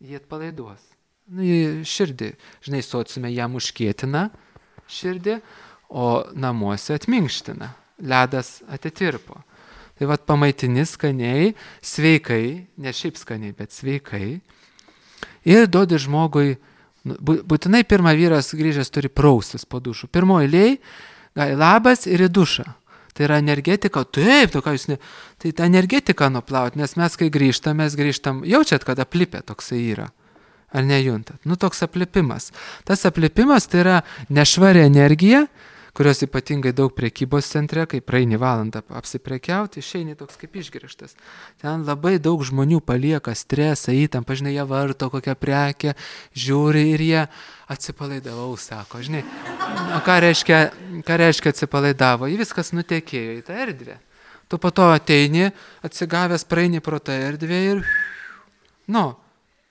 Jie atpalaiduos. Nu, širdį, žinai, sociume jam užkietina širdį, o namuose atminkština. Ledas atitirpo. Tai vat pamaitini skaniai, sveikai, ne šiaip skaniai, bet sveikai. Ir duodi žmogui, būtinai pirmą vyras grįžęs turi praustis po dušų. Pirmoji eilėj, gal labas ir į dušą. Tai yra energetika, taip, to ką jūs ne... Tai ta energetika nuplaut, nes mes kai grįžtam, mes grįžtam, jaučiat, kad aplipė toksai yra. Ar nejuntat? Nu, toks aplipimas. Tas aplipimas tai yra nešvari energija, kurios ypatingai daug prekybos centre, kai praeini valandą apsiprekiauti, išeini toks kaip išgrįžtas. Ten labai daug žmonių palieka stresą, įtampą, žinai, jie varto kokią prekę, žiūri ir jie atsipalaidavau, sako, žinai. O ką reiškia, ką reiškia atsipalaidavo? Jį viskas nutekėjo į tą erdvę. Tu po to ateini, atsigavęs praeini pro tą erdvę ir, nu,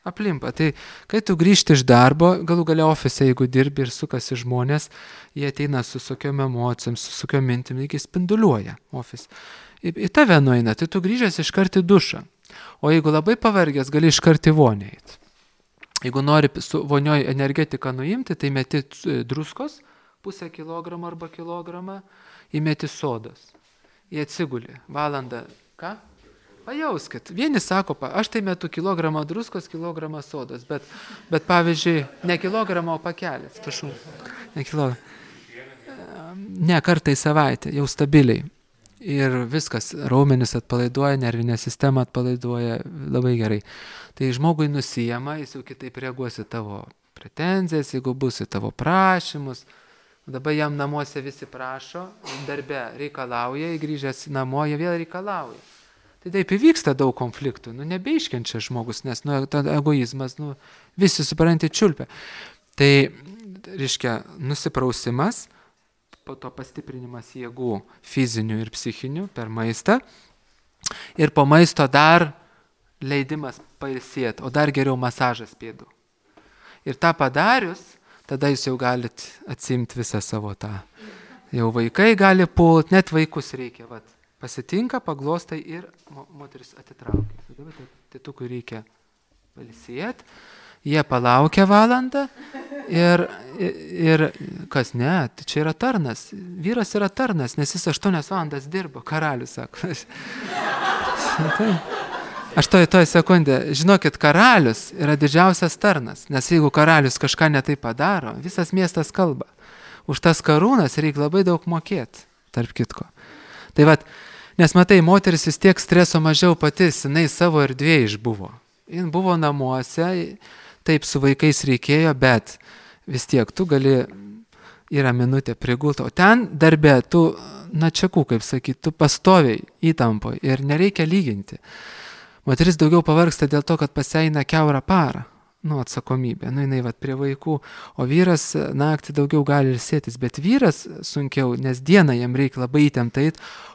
aplimpa. Tai kai tu grįžti iš darbo, galų galia ofise, jeigu dirbi ir sukasi žmonės, jie ateina su tokiom emocijom, su tokiom mintim, iki spinduliuoja ofis. Į, į tave nueina, tai tu grįžęs iškart į dušą. O jeigu labai pavargęs, gali iškart į vonį eiti. Jeigu nori su vonioj energetiką nuimti, tai meti druskos, pusę kilogramą arba kilogramą, įmeti sodos. Jie atsiguli. Valandą. Ką? Pajauskit. Vieni sako, aš tai metu kilogramą druskos, kilogramą sodos, bet, bet pavyzdžiui, ne kilogramą, o pakelis. Prašau. Ne kilogramą. Ne, kartą į savaitę, jau stabiliai. Ir viskas, raumenis atpalaiduoja, nervinė sistema atpalaiduoja labai gerai. Tai žmogui nusijama, jis jau kitaip reaguos į tavo pretenzijas, jeigu bus į tavo prašymus. Dabar jam namuose visi prašo, darbe reikalauja, grįžęs namo, jie vėl reikalauja. Tai taip įvyksta daug konfliktų, nu nebeiškenčia žmogus, nes nu, egoizmas, nu, visi supranti čiulpia. Tai, reiškia, nusiprausimas, po to pastiprinimas jėgų fizinių ir psichinių per maistą ir po maisto dar leidimas pailsėti, o dar geriau masažas pėdų. Ir tą padarius, tada jūs jau galit atsimti visą savo tą. Jau vaikai gali pult, net vaikus reikia, vat. Pasitinka, paglostai ir moteris atitraukia. Dabar tėtukui reikia pailsėti, jie palaukia valandą ir, ir, ir kas ne, tai čia yra tarnas. Vyras yra tarnas, nes jis aštuonias valandas dirbo, karalius sako. Aš toj, toj sekundę, žinokit, karalius yra didžiausias tarnas, nes jeigu karalius kažką netai padaro, visas miestas kalba. Už tas karūnas reikia labai daug mokėti, tarp kitko. Tai vat, nes matai, moteris vis tiek streso mažiau patys, jinai savo erdvėje išbuvo. Jin buvo namuose, taip su vaikais reikėjo, bet vis tiek tu gali, yra minutė prigulti, o ten darbe tu, na čiakų, kaip sakyti, tu pastoviai įtampoje ir nereikia lyginti. Moteris daugiau pavargsta dėl to, kad pasieina kiaurą parą. Nu, atsakomybė, nu, jinai vat prie vaikų, o vyras naktį daugiau gali ilsėtis, bet vyras sunkiau, nes dieną jam reikia labai įtemptai,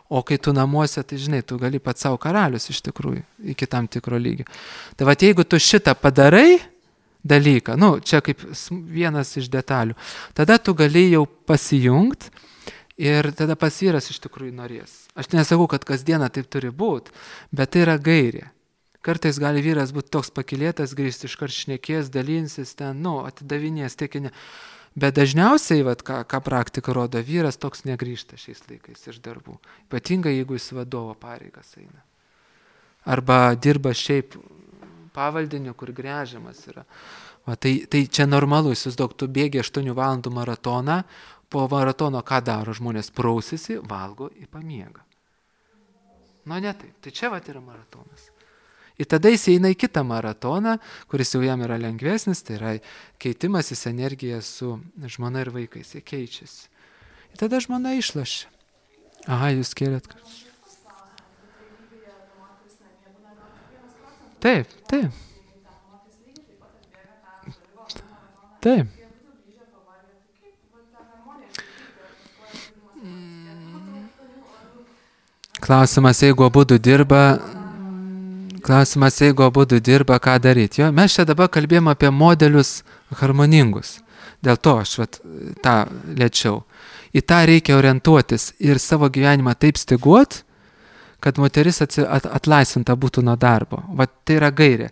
o kai tu namuose, tai žinai, tu gali pats savo karalius iš tikrųjų, iki tam tikro lygio. Tai vat jeigu tu šitą padarai dalyką, nu, čia kaip vienas iš detalių, tada tu gali jau pasijungt ir tada pas vyras iš tikrųjų norės. Aš nesakau, kad kasdieną taip turi būti, bet tai yra gairė. Kartais gali vyras būti toks pakilėtas, grįžti iškart šnekės, dalinsis ten, nu, atidavinės, tiekinė. Bet dažniausiai, vat, ką, ką praktika rodo, vyras toks negrįžta šiais laikais iš darbų. Ypatingai, jeigu jis vadovo pareigas eina. Arba dirba šiaip pavaldiniu, kur gręžiamas yra. Va, tai, tai čia normalu, įsivaizduok, tu bėgi aštuonių valandų maratoną, po maratono ką daro žmonės? Prausisi, valgo ir pamiega. Nu, ne taip. Tai čia vat yra maratonas. Ir tada jis eina į kitą maratoną, kuris jau jam yra lengvesnis, tai yra keitimasis energija su žmona ir vaikais. Jie keičiasi. Ir tada žmona išlašia. Aha, jūs kėlėt. Taip, taip. Taip. Klausimas, jeigu abudu dirba, klausimas, jeigu abudu dirba, ką daryti. Jo, mes čia dabar kalbėjome apie modelius harmoningus. Dėl to aš vat, tą lėčiau. Į tą reikia orientuotis ir savo gyvenimą taip styguot, kad moteris atsi, at, atlaisvinta būtų nuo darbo. Vat tai yra gairė.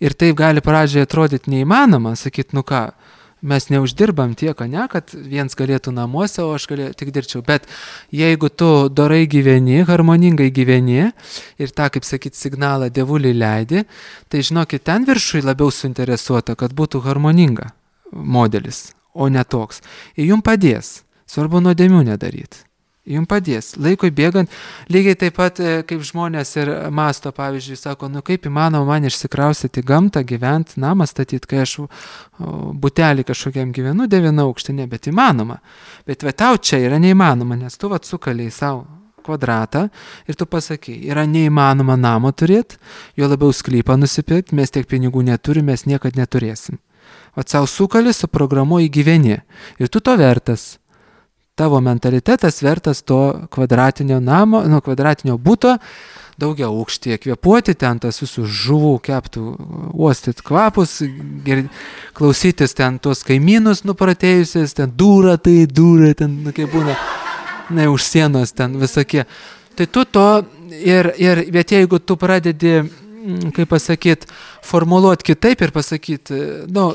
Ir taip gali pradžioje atrodyti neįmanoma, sakyti, nu ką, mes neuždirbam tiek, ne, kad viens galėtų namuose, o aš galėjau, tik dirbčiau. Bet jeigu tu dorai gyveni, harmoningai gyveni ir tą, kaip sakyti, signalą dievulį leidi, tai žinokit, ten viršui labiau suinteresuota, kad būtų harmoninga modelis, o ne toks. Ir jums padės. Svarbu nuodėmių nedaryti. Jums padės. Laikui bėgant, lygiai taip pat kaip žmonės ir masto, pavyzdžiui, sako, nu kaip įmanoma man išsikraustyti gamtą, gyventi, namą statyti, kai aš butelį kažkokiam gyvenu, devyną aukštį, ne, bet įmanoma. Bet va, tau čia yra neįmanoma, nes tu va sukaliai savo kvadratą ir tu pasakai, yra neįmanoma namo turėti, jo labiau sklypą nusipirkti, mes tiek pinigų neturime, mes niekad neturėsim. O savo sukali, suprogramuoji gyveni ir tu to vertas. Tavo mentalitetas vertas to kvadratinio namo, nu, kvadratinio buto, daugia aukštyje kvėpuoti, ten tas visų žuvų keptų, uostyti kvapus, gir, klausytis ten tos kaimynus nupratėjusiais, ten dūra tai, dūra, ten, nu, kaip būna, ne, už sienos ten visokie. Tai tu to, ir, ir, bet jeigu tu pradedi, kaip pasakyti, formuluoti kitaip ir pasakyti, nu,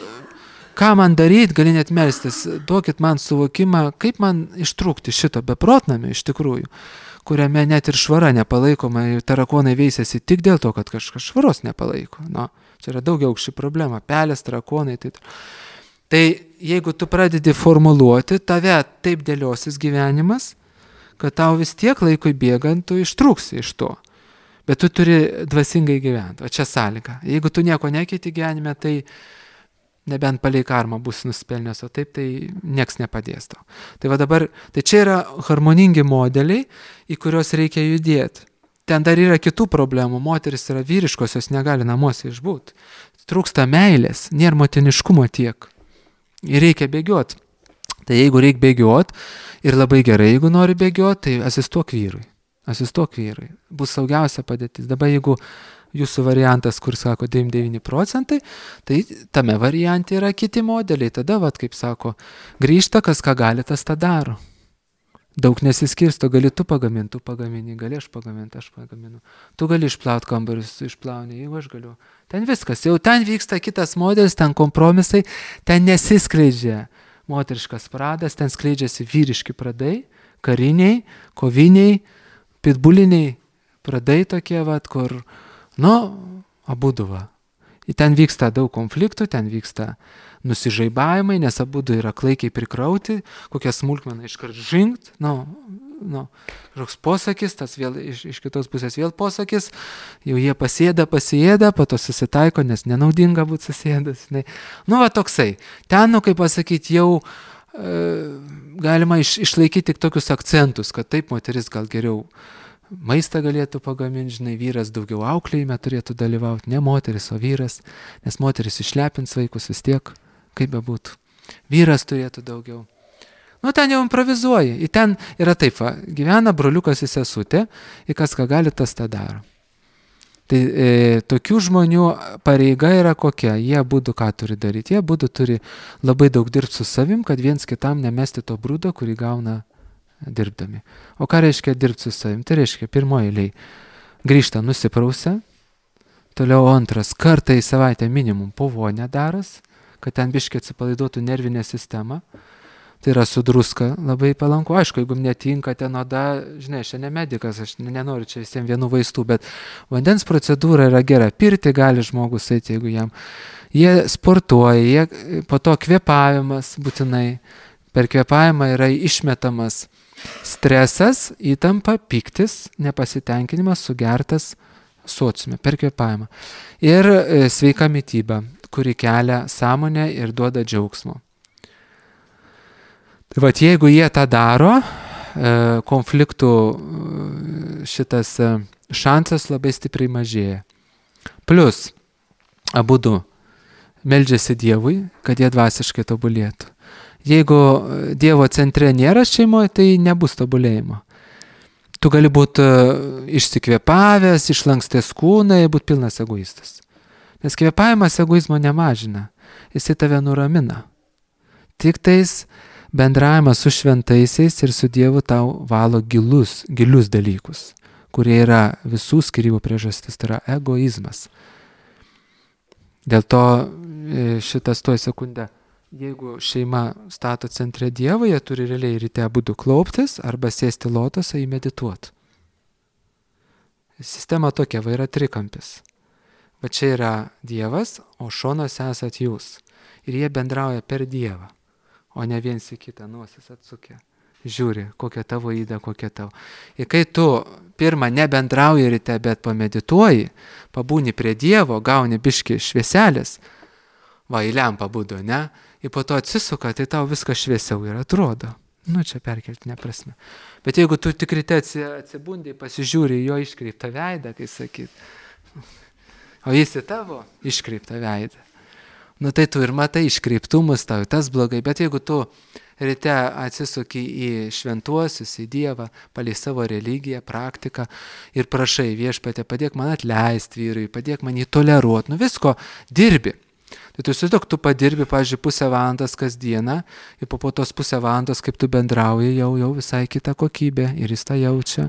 ką man daryti, gali net melstis, duokit man suvokimą, kaip man ištrūkti šito beprotnamio iš tikrųjų, kuriame net ir švara nepalaikoma ir tarakonai veisiasi tik dėl to, kad kažkas švaros nepalaiko. Nu, čia yra daugia aukščių problema, pelės, tarakonai. Tai, tai jeigu tu pradedi formuluoti, tave taip dėliosis gyvenimas, kad tau vis tiek laikui bėgant tu ištrūksi iš to. Bet tu turi dvasingai gyventi, o čia sąlyga. Jeigu tu nieko nekeiti gyvenime, tai nebent palei karmą bus nusipelnęs, o taip tai nieks nepadės tau. Tai va dabar, tai čia yra harmoningi modeliai, į kuriuos reikia judėti. Ten dar yra kitų problemų, moteris yra vyriškos, jos negali namuose išbūti. Trūksta meilės, nėra motiniškumo tiek. Ir reikia bėgioti. Tai jeigu reikia bėgioti, ir labai gerai, jeigu nori bėgioti, tai asistuok vyrui. Asistuok vyrui. Bus saugiausia padėtis. Dabar jeigu jūsų variantas, kur sako devyniasdešimt devyni procentai, tai tame variante yra kiti modeliai. Tada, vat, kaip sako, grįžta, kas ką gali, tas tą daro. Daug nesiskirsto, gali tu pagaminti, tu pagamini, gali aš pagaminti, aš pagaminu. Tu gali išplauti kambarius, išplauni, jeigu aš galiu. Ten viskas, jau ten vyksta kitas modelis, ten kompromisai, ten nesiskleidžia moteriškas pradas, ten skleidžiasi vyriški pradai, kariniai, koviniai, pitbuliniai pradai tokie, vat, kur nu, abudu va. Ir ten vyksta daug konfliktų, ten vyksta nusižaibavimai, nes abudu yra klaikiai prikrauti, kokią smulkmeną iškart žingt, nu, nu, kažkoks posakis, tas vėl iš, iš kitos pusės vėl posakis, jau jie pasėda, pasėda, po to susitaiko, nes nenaudinga būti susėdas. Ne. Nu, va toksai. Ten, nu, kaip pasakyti, jau e, galima iš, išlaikyti tik tokius akcentus, kad taip moteris gal geriau maistą galėtų pagaminti, žinai, vyras daugiau auklėjime turėtų dalyvauti, ne moteris, o vyras, nes moteris išlepins vaikus vis tiek, kaip bebūtų. Vyras turėtų daugiau. Nu, ten jau improvizuoji. Ir ten yra taip, va, gyvena broliukas ir sesutė, ir kas ką gali, tas tą daro. Tai e, tokių žmonių pareiga yra kokia, jie būdu ką turi daryti, jie būdu turi labai daug dirbti su savim, kad viens kitam nemesti to brūdo, kurį gauna dirbdami. O ką reiškia dirbti su savim? Tai reiškia, pirmoji eilėj grįžta nusiprausia, toliau antras, kartą į savaitę minimum po vonę daras, kad ten biškiai atsipalaiduotų nervinę sistemą. Tai yra su druska labai palanku. Aišku, jeigu netinka ten oda, žinai, aš ne medikas, aš nenoriu čia visiems vienų vaistų, bet vandens procedūra yra gera. Pirti gali žmogus eiti, jeigu jam. Jie sportuoja, jie, po to kvėpavimas būtinai. Per kvėpavimą yra išmetamas Stresas, įtampa, pyktis, nepasitenkinimas sugertas sociume per kvėpavimą. Ir sveika mityba, kuri kelia sąmonę ir duoda džiaugsmo. Tai vat jeigu jie tą daro, konfliktų šitas šansas labai stipriai mažėja. Plus, abudu meldžiasi Dievui, kad jie dvasiškai tobulėtų. Jeigu Dievo centre nėra šeimoje, tai nebus tobulėjimo. Tu gali būti išsikvėpavęs, išlankstęs kūną ir būti pilnas egoistas. Nes kvėpavimas egoizmo nemažina, jisai tave nuramina. Tik tais bendravimas su šventaisiais ir su Dievu tau valo gilus, gilius dalykus, kurie yra visų skyrybų priežastis, tai yra egoizmas. Dėl to šitas tuoj sekundę, jeigu šeima stato centre Dievą, jie turi realiai ryte abudu klauptis arba sėsti lotosą į medituot. Sistema tokia, va yra trikampis. Va čia yra Dievas, o šonuose esat jūs. Ir jie bendrauja per Dievą, o ne viens į kitą nosis atsukę. Žiūri, kokia tavo įda, kokia tavo. Ir kai tu pirmą nebendrauji ryte, bet pamedituoji, pabūni prie Dievo, gauni biški švieselės, va į lempą būdu, ne? Ir po to atsisuka, tai tau viskas šviesiau ir atrodo. Nu, čia perkeltinė prasme. Bet jeigu tu tik ryte atsibundai, pasižiūri jo iškreiptą veidą, kai sakyt, o jis į tavo iškreiptą veidą. Nu, tai tu ir matai iškreiptumus tau, tas blogai. Bet jeigu tu ryte atsisuki į šventuosius, į Dievą, palei savo religiją, praktiką ir prašai Viešpatie, padėk man atleisti vyrui, padėk man jį toleruoti, nu visko dirbi. Tai tu įsivaizduok, tu padirbi, pavyzdžiui, pusę valandos kasdieną ir po, po tos pusę valandos, kaip tu bendrauji, jau, jau visai kita kokybė ir jis tą jaučia.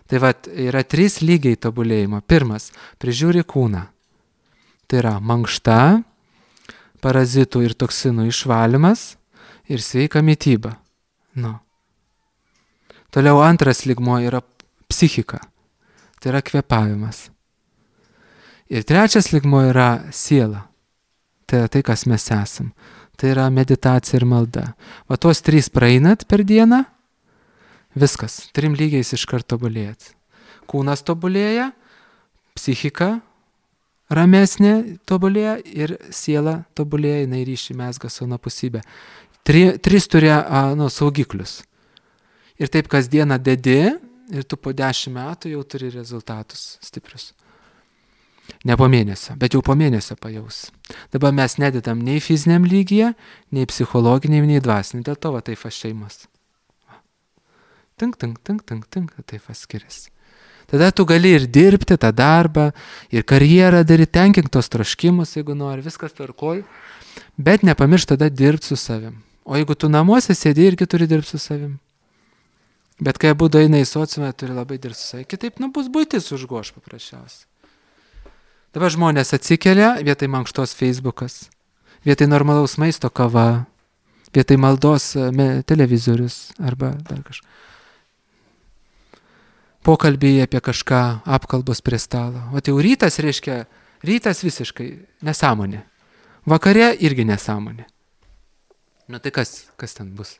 Tai vat, yra trys lygiai tobulėjimo. Pirmas, prižiūri kūną. Tai yra mankšta, parazitų ir toksinų išvalymas ir sveika mityba. Nu. Toliau antras lygmuo yra psichika. Tai yra kvėpavimas. Ir trečias lygmuo yra siela. Tai yra tai, kas mes esam. Tai yra meditacija ir malda. Va tuos trys praeinat per dieną, viskas. Trim lygiais iš karto tobulėjat. Kūnas tobulėja, psichika ramesnė tobulėja ir siela tobulėja, jinai ryšį mezga su anapusybė. Tri, tris turi nu, saugiklius. Ir taip kasdieną dedi ir tu po dešimt metų jau turi rezultatus stiprius. Ne po mėnesio, bet jau po mėnesio pajaus. Dabar mes nededam nei fiziniam lygyje, nei psichologiniam, nei dvasiniam. Dėl to va taip va šeimas. Tink, tink, tink, tink, tink, taip va skiriasi. Tada tu gali ir dirbti tą darbą, ir karjerą daryti, tenkink tos troškimus, jeigu nori, viskas tvarkoj, bet nepamiršk tada dirbti su savim. O jeigu tu namuose sėdi, irgi turi dirbti su savim. Bet kai abu eina į sociumą, turi labai dirbti su savim. Kitaip, nu, bus buitis užgoš paprasčiausiai. Dabar žmonės atsikelia, vietoj mankštos Facebookas, vietoj normalaus maisto kava, vietoj maldos me, televizorius arba dar kažką. Pokalbiai apie kažką, apkalbos prie stalo. O tai jau rytas reiškia, rytas visiškai nesąmonė. Vakare irgi nesąmonė. Nu tai kas, kas ten bus?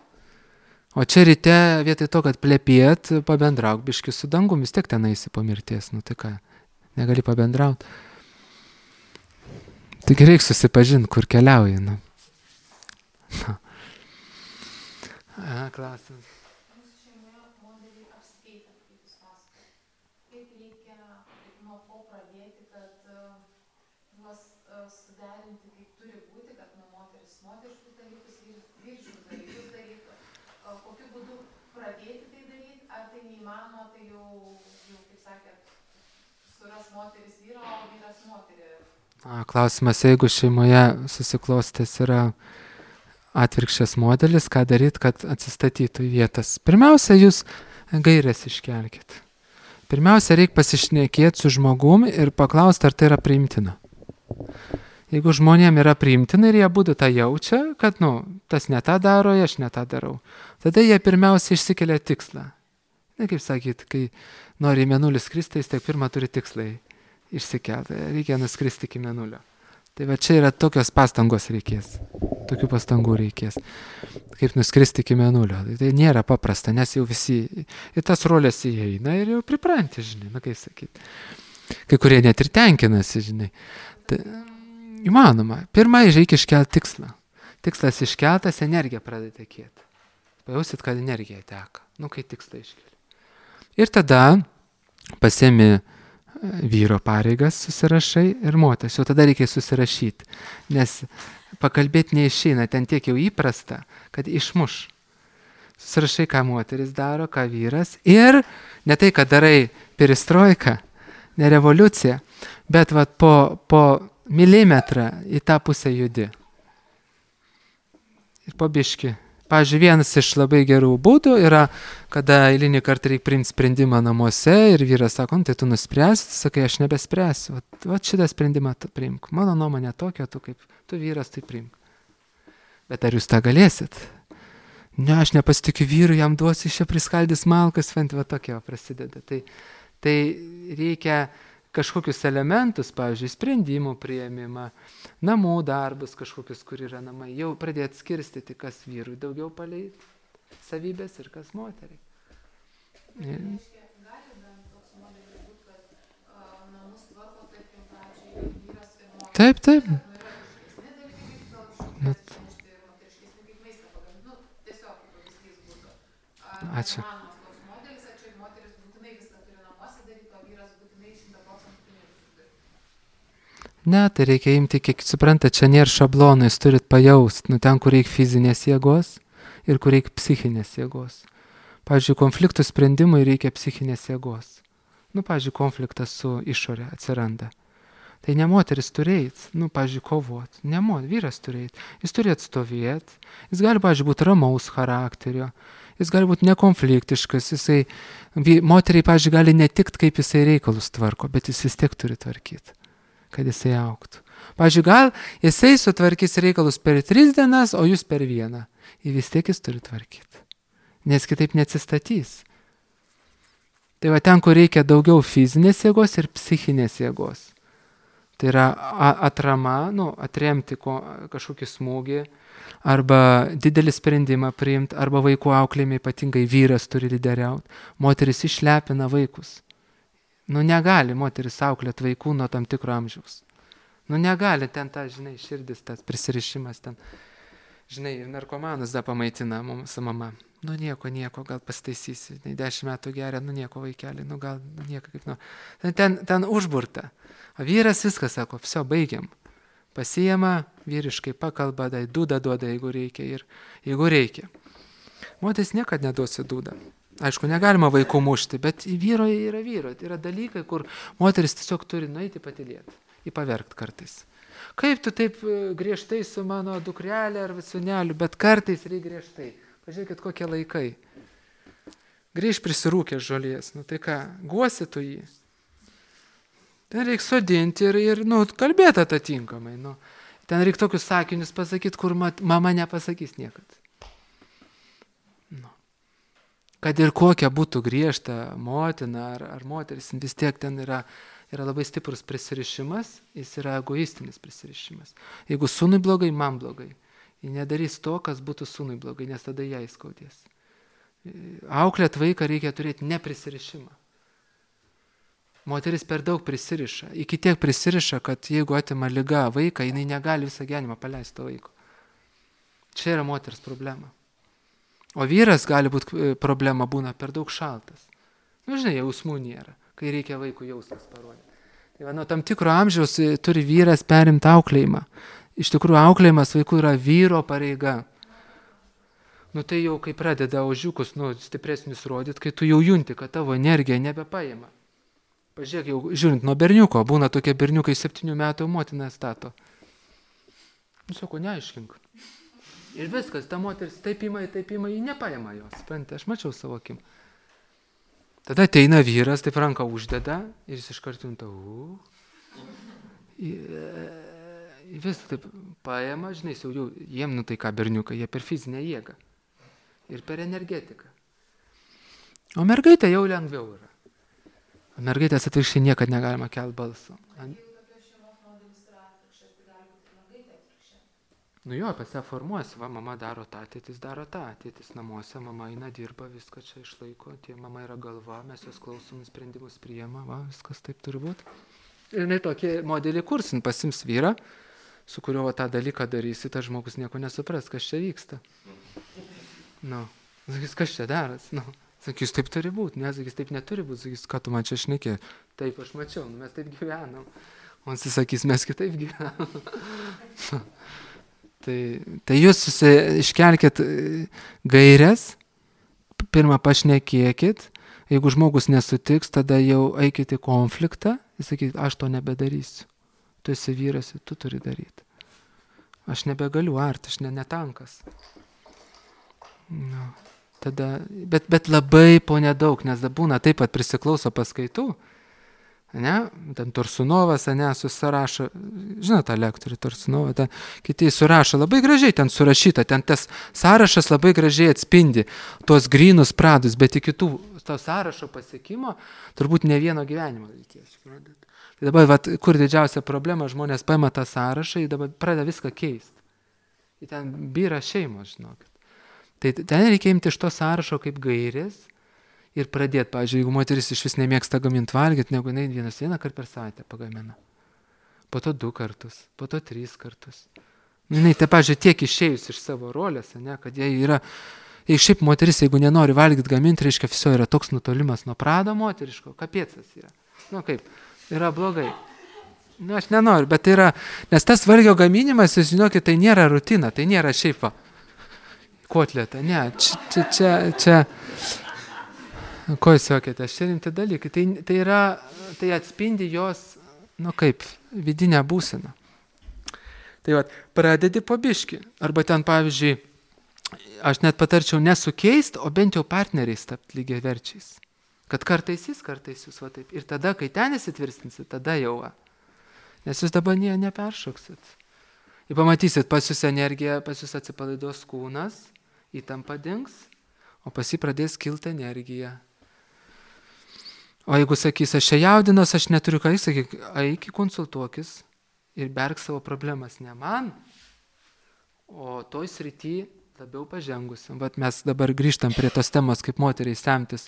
O čia ryte vietoj to, kad plepėt, pabendrauk biški su dangum, vis tiek ten eisi po mirties. Nu tai ką, negali pabendrauti. Tik reikia susipažinti, kur keliauji. Nu. A, klausimas. A, klausimas, jeigu šeimoje susiklostęs yra atvirkščias modelis, ką daryti, kad atsistatytų į vietas. Pirmiausia, jūs gairės iškelkit. Pirmiausia, reikia pasišnekėti su žmogum ir paklausti, ar tai yra priimtina. Jeigu žmonėm yra priimtina ir jie būtų tą jaučia, kad, nu, tas ne tą daro, aš ne tą darau, tada jie pirmiausia išsikelia tikslą. Ne, kaip sakyt, kai nori į mėnulį skristi, jis tiek pirmą turi tikslai išsikelti. Reikia nuskristi iki mėnulio. Tai va čia yra tokios pastangos reikės. Tokių pastangų reikės. Kaip nuskristi iki mėnulio. Tai nėra paprasta, nes jau visi į tas rolės įeina ir jau pripranti, žinai, na kaip sakyti. Kai kurie net ir tenkinasi, žinai. Tai įmanoma. Pirmai reikia iškelti tikslą. Tikslas iškeltas, energija pradeda tekėti. Pajausit, kad energija teka. Nu, kai tikslą iškeli. Ir tada pasiemi vyro pareigas, susirašai ir moters. Jau tada reikia susirašyti. Nes pakalbėti neišeina, ten tiek jau įprasta, kad išmuš. Susirašai, ką moteris daro, ką vyras. Ir ne tai, kad darai perestroiką, ne revoliuciją, bet vat, po, po milimetrą į tą pusę judi. Ir po biškį. Pavyzdžiui, vienas iš labai gerų būdų yra, kada eilinį kartą reikia priimti sprendimą namuose ir vyras sako, tai tu nuspręsi, sakai, aš nebespręsiu. Vat, vat šitą sprendimą priimk. Mano nuomonė tokia, tu kaip tu vyras, tai priimk. Bet ar jūs tą galėsit? Ne, aš nepasitikiu vyru, jam duosiu, iš čia priskaldys malkas, fent, va tokia prasideda. Tai, tai reikia kažkokius elementus, pavyzdžiui, sprendimų priėmimą, namų darbus kažkokius, kur yra namai, jau pradėti skirstyti, kas vyrui daugiau palei savybės ir kas moteriai. Gali bent toks modelis būti, kad namus tvarko, tarkim, pradžiai vyras ir moteris. Taip, taip. Nu, yra kažkokiesni dalykai, kaip gal kažkokies atsinešti ir moteriškesni, kaip maistą pagaminti. Nu, tiesiog kaip pavyzdys būtų. Ačiū. Manomas toks modelis, ar čia moteris būtinai viską turi namuose daryti, o vyras būtinai šimtą procentų pinigus turi. Ne, tai reikia imti, kiek suprantate, čia nėra šablonų, jūs turit pajausti, nu ten, kur reikia fizinės jėgos ir kur reikia psichinės jėgos. Pavyzdžiui, konfliktų sprendimui reikia psichinės jėgos. Nu, pavyzdžiui, konfliktas su išorė atsiranda. Tai ne moteris turėt, nu, pavyzdžiui, kovot. Ne moteris, vyras turėt. Jis turi atstovėti. Jis gali, pavyzdžiui, būti ramaus charakterio. Jis gali būti nekonfliktiškas. Jisai, moteriai, pavyzdžiui, gali netikt, kaip jisai reikalus tvarko, bet jis vis tiek turi tvarkyti, kad jisai auktų. Pavyzdžiui, gal jisai sutvarkys reikalus per tris dienas, o jūs per vieną. Ir vis tiek jis turi tvarkyti. Nes kitaip neatsistatys. Tai va ten, kur reikia daugiau fizinės jėgos ir psichinės jėgos. Tai yra atrama, nu, atremti ko, kažkokį smūgį, arba didelį sprendimą priimti, arba vaikų auklėjime ypatingai vyras turi lyderiauti. Moteris išlepina vaikus. Nu, negali moteris auklėti vaikų nuo tam tikro amžiaus. Nu, negali ten ta, žinai, širdis, tas prisirišimas ten. Žinai, narkomanus da pamaitina mums mama. Nu, nieko, nieko, gal pastaisysi. Dešimt metų geria, nu, nieko vaikelį, nu, gal, nu, nieko kaip, nu. Ten, ten užburta. O vyras viskas sako, viso, baigiam. Pasijama, vyriškai pakalba, dai dūdą duoda, jeigu reikia ir jeigu reikia. Moteris niekada neduosi dūdą. Aišku, negalima vaikų mušti, bet vyro yra vyro. Tai yra dalykai, kur moteris tiesiog turi nueiti patylėti, įpaverkt kartais. Kaip tu taip griežtai su mano dukrelė ar sūneliu, bet kartais reikia griežtai. Pažiūrėkit, kokie laikai. Grįž prisirūkęs žolės, nu tai ką, guosi tu jį. Ten reikia sodinti ir, ir nu, kalbėti atitinkamai. Nu. Ten reikia tokius sakinius pasakyti, kur mat, mama nepasakys niekad. Nu. Kad ir kokia būtų griežta motina ar, ar moteris, vis tiek ten yra, yra labai stiprus prisirišimas, jis yra egoistinis prisirišimas. Jeigu sūnui blogai, man blogai. Jis nedarys to, kas būtų sūnui blogai, nes tada jai skaudės. Auklėt vaiką reikia turėti neprisirišimą. Moteris per daug prisiriša. Iki tiek prisiriša, kad jeigu atima liga vaiką, jinai negali visą gyvenimą paleisti to vaiko. Čia yra moters problema. O vyras gali būti problema būna per daug šaltas. Nu, žinai, jausmų nėra, kai reikia vaikų jausmas parodyti. Tai va, nuo tam tikro amžiaus turi vyras perimti auklėjimą. Iš tikrųjų, auklėjimas vaikų yra vyro pareiga. Nu tai jau, kai pradeda ožiukus, nu, stipresnius rodyti, kai tu jau junti, kad tavo energija nebepaima. Pažiūrėk, jau žiūrint nuo berniuko, būna tokie berniukai septynių metų motina stato. Nu, sako, neaiškink. Ir viskas, ta moteris taip ima, taip ima, ji nepaima jos. Sprendė, aš mačiau savo akim. Tada ateina vyras, taip ranką uždeda ir jis iš karto junta, u. Vis taip paima, žinai, jau jiem, nu tai ką berniukai, jie per fizinę jėgą ir per energetiką. O mergaitė jau lengviau yra. O mergaitės atvirkščiai niekad negalima kelti balso. Jeigu tokia šeimos modelis yra atvirkščias, tai gali Nu jo, pas ją formuojasi, va, mama daro tą, tėtis daro tą, tėtis namuose, mama eina, dirba, viską čia išlaiko, tie mama yra galva, mes jos klausom, sprendimus priima, va, viskas taip turi būti. Ir jinai tokį modelį kursin, pasims vyrą, su kuriuo va, tą dalyką darysi, tas žmogus nieko nesupras, kas čia vyksta. Nu, sakys, kas čia daras, nu. Sakys, taip turi būti, ne, sakys, taip neturi būti, sakys, ką tu man čia šnekė. Taip, aš mačiau, nu, mes taip gyvenam. O jis sakys, mes kitaip gyvenam. Tai, tai jūs iškelkit gairias, pirmą pašnekėkit, jeigu žmogus nesutiks, tada jau eikit į konfliktą, jis sakys, aš to nebedarysiu. Tu esi vyras, tu turi daryti. Aš nebegaliu arti, aš ne, netankas. No. Tada, bet, bet labai po nedaug, nes būna taip pat prisiklauso paskaitų. Ne, ten Tursunovas, ne, susirašo, žinot tą lektorių Tursunovą, ten kiti surašo, labai gražiai ten surašyta, ten tas sąrašas labai gražiai atspindi tuos grynus pradus, bet iki tų, to sąrašo pasiekimo turbūt ne vieno gyvenimo reikės. Tai dabar, vat, kur didžiausia problema, žmonės paima tą sąrašą ir dabar pradeda viską keisti. Ir ten byra šeimos, žinokit. Tai ten reikia imti iš to sąrašo kaip gairės, ir pradėti, pavyzdžiui, jeigu moteris iš vis nemėgsta gaminti valgyti, negu jinai vienas vieną kartą per savaitę pagamina. Po to du kartus, po to trys kartus. Jinai, tai, pavyzdžiui, tiek išėjus iš savo rolės, ne, kad jie yra, jei šiaip moteris, jeigu nenori valgyti gaminti, reiškia, viso yra toks nutolimas nuo prado moteriško, kapėcas yra. Nu kaip, yra blogai. Nu, aš nenoriu, bet tai yra, nes tas valgio gaminimas, jūs žinokit, tai nėra rutina, tai nėra šiaip va, kotleta, ne, čia, čia, čia, čia ko jūs sakėte, aš čia rimti dalykai. Tai, tai, yra, tai atspindi jos, nu kaip, vidinę būseną. Tai va, pradedi po biškį. Arba ten, pavyzdžiui, aš net patarčiau nesukeist, o bent jau partneriais tapti lygiai verčiais. Kad kartais jis, kartais jūs, va taip. Ir tada, kai ten įsitvirtinsit, tada jau va. Nes jūs dabar nie, neperšoksit. Ir pamatysit, pas jūs energija, pas jūs atsipalaiduos kūnas, įtampa dings, o pas jį pradės kilti energija. O jeigu sakys, aš čia jaudinos, aš neturiu ką, sakyk, eik, konsultuokis ir berk savo problemas ne man, o toj srity labiau pažengusiam. Vat mes dabar grįžtam prie tos temos, kaip moteriai semtis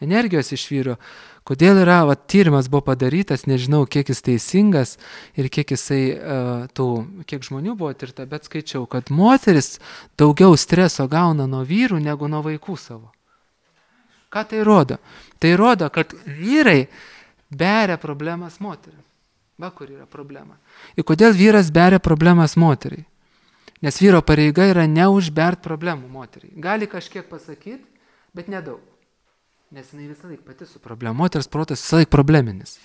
energijos iš vyro. Kodėl yra, vat, tyrimas buvo padarytas, nežinau, kiek jis teisingas ir kiek jisai, uh, tų, kiek žmonių buvo tirta, bet skaičiau, kad moteris daugiau streso gauna nuo vyrų negu nuo vaikų savo. Ką tai rodo? Tai rodo, kad vyrai beria problemas moteriai. Va, kur yra problema. Ir kodėl vyras beria problemas moteriai? Nes vyro pareiga yra neužbert problemų moteriai. Gali kažkiek pasakyti, bet nedaug. Nes jinai visą laik pati su problema. Moters protas visą laik probleminis.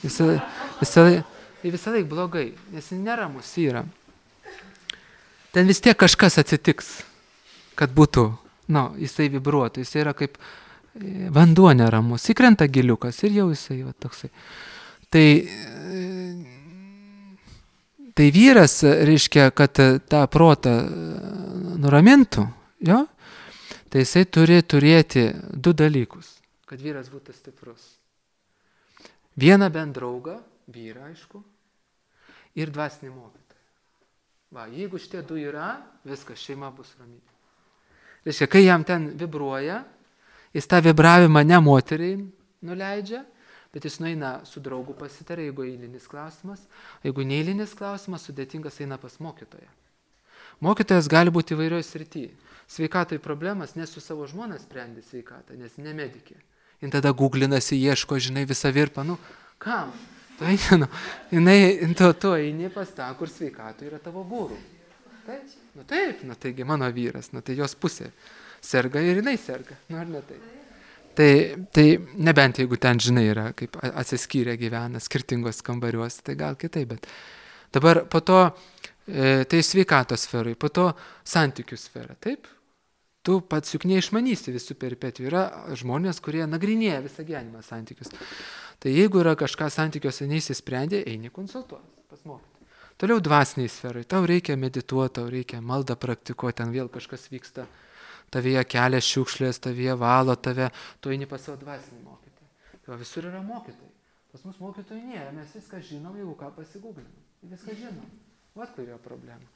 Visą, visą, laik, visą laik blogai, nes jis neramus yra. Ten vis tiek kažkas atsitiks, kad būtų, nu, jisai vibruotų, jisai yra kaip vanduo neramus, įkrenta giliukas ir jau jisai va, toksai. Tai, tai vyras, reiškia, kad tą protą nuramintų, jo, tai jisai turi turėti du dalykus, kad vyras būtų stiprus. Vieną bent draugą, vyrą, aišku, ir dvasinį mokytoją. Va, jeigu šitie du yra, viskas, šeima bus ramybė. Reiškia, kai jam ten vibruoja, jis tą vibravimą ne moteriai nuleidžia, bet jis nueina su draugu pasitarė, jeigu eilinis klausimas. Jeigu neeilinis klausimas, sudėtingas eina pas mokytoją. Mokytojas gali būti įvairioj srityje. Sveikatoj problemas, nes su savo žmona sprendi sveikatą, nes ne medikė. Ir tada guglinasi, ieško, žinai, visą virpą. Nu, kam? Tu eini, nu, jinai, tu, tu eini pas tą, kur sveikatoj yra tavo guru. Taip? Nu taip, nu taigi mano vyras, nu tai jos pusė. Serga ir jinai serga, nu ar ne taip. Tai, tai nebent jeigu ten, žinai, yra kaip atsiskyrę gyvena skirtingos kambariuose, tai gal kitaip, bet dabar po to, e, tai sveikatos sferai, po to santykių sfera, taip? Tu pats juk neišmanysi visų peripetijų, yra žmonės, kurie nagrinėja visą gyvenimą santykius. Tai jeigu yra kažką santykiuose neįsisprendė, eini konsultuoti pas mokytoją. Toliau dvasiniai sferai, tau reikia medituoti, tau reikia maldą praktikuoti, ten vėl kažkas vyksta. Tavyje kelia šiukšlės, tavyje valo tave, tu eini pas savo dvasinį mokytoją. Tai visur yra mokytojai. Pas mus mokytojai nėra, mes viską žinom, jeigu ką pasigūglinam. Viską žinom. Vat kur yra problema.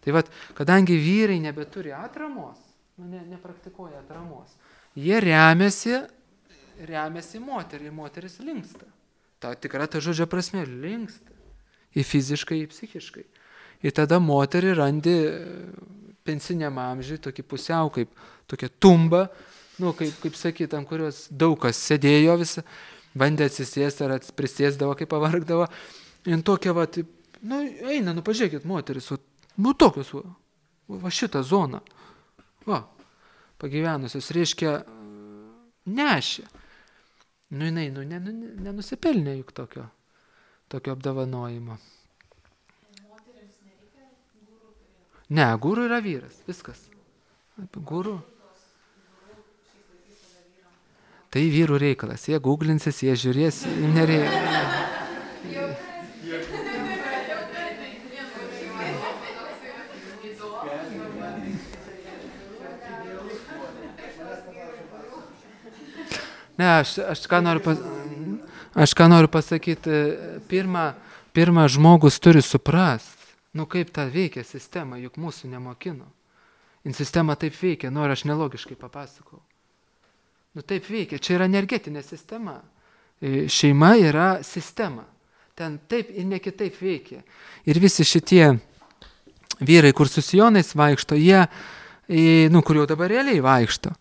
Tai vat, kadangi vyrai nebeturi atramos, nu, ne, nepraktikuoja atramos, jie remiasi, remiasi moterį, ir moteris linksta. Ta tikra ta žodžio prasme, linksta. Į fiziškai, į psichiškai. Ir tada moterį randi pensiniam amžiui, tokį pusiau, kaip tokia tumba, nu, kaip, kaip sakyt, ant kurios daug kas sėdėjo visą, bandė atsisėsti ar prisėsdavo, kaip pavargdavo. Ir tokia, va, taip, nu, eina, nu, pažiūrėkit, moteris, va, nu, tokios, va, va šitą zoną, va, pagyvenusios, reiškia, nešė. Nu, jinai, nu, nenusipelnė juk tokio, tokio apdovanojimo. Ne, guru yra vyras, viskas. Guru. Tai vyrų reikalas. Jie googlinsis, jie žiūrės, jie nereikia. Ne, aš, aš, ką noriu pas, aš ką noriu pasakyti, pirmą, pirmą žmogus turi suprast, nu kaip ta veikia sistema, juk mūsų nemokino. In sistema taip veikia, nu ar aš nelogiškai papasakau. Nu taip veikia, čia yra energetinė sistema. Šeima yra sistema. Ten taip ir ne kitaip veikia. Ir visi šitie vyrai, kur su sijonais vaikšto, jie, nu kur jau dabar realiai vaikšto,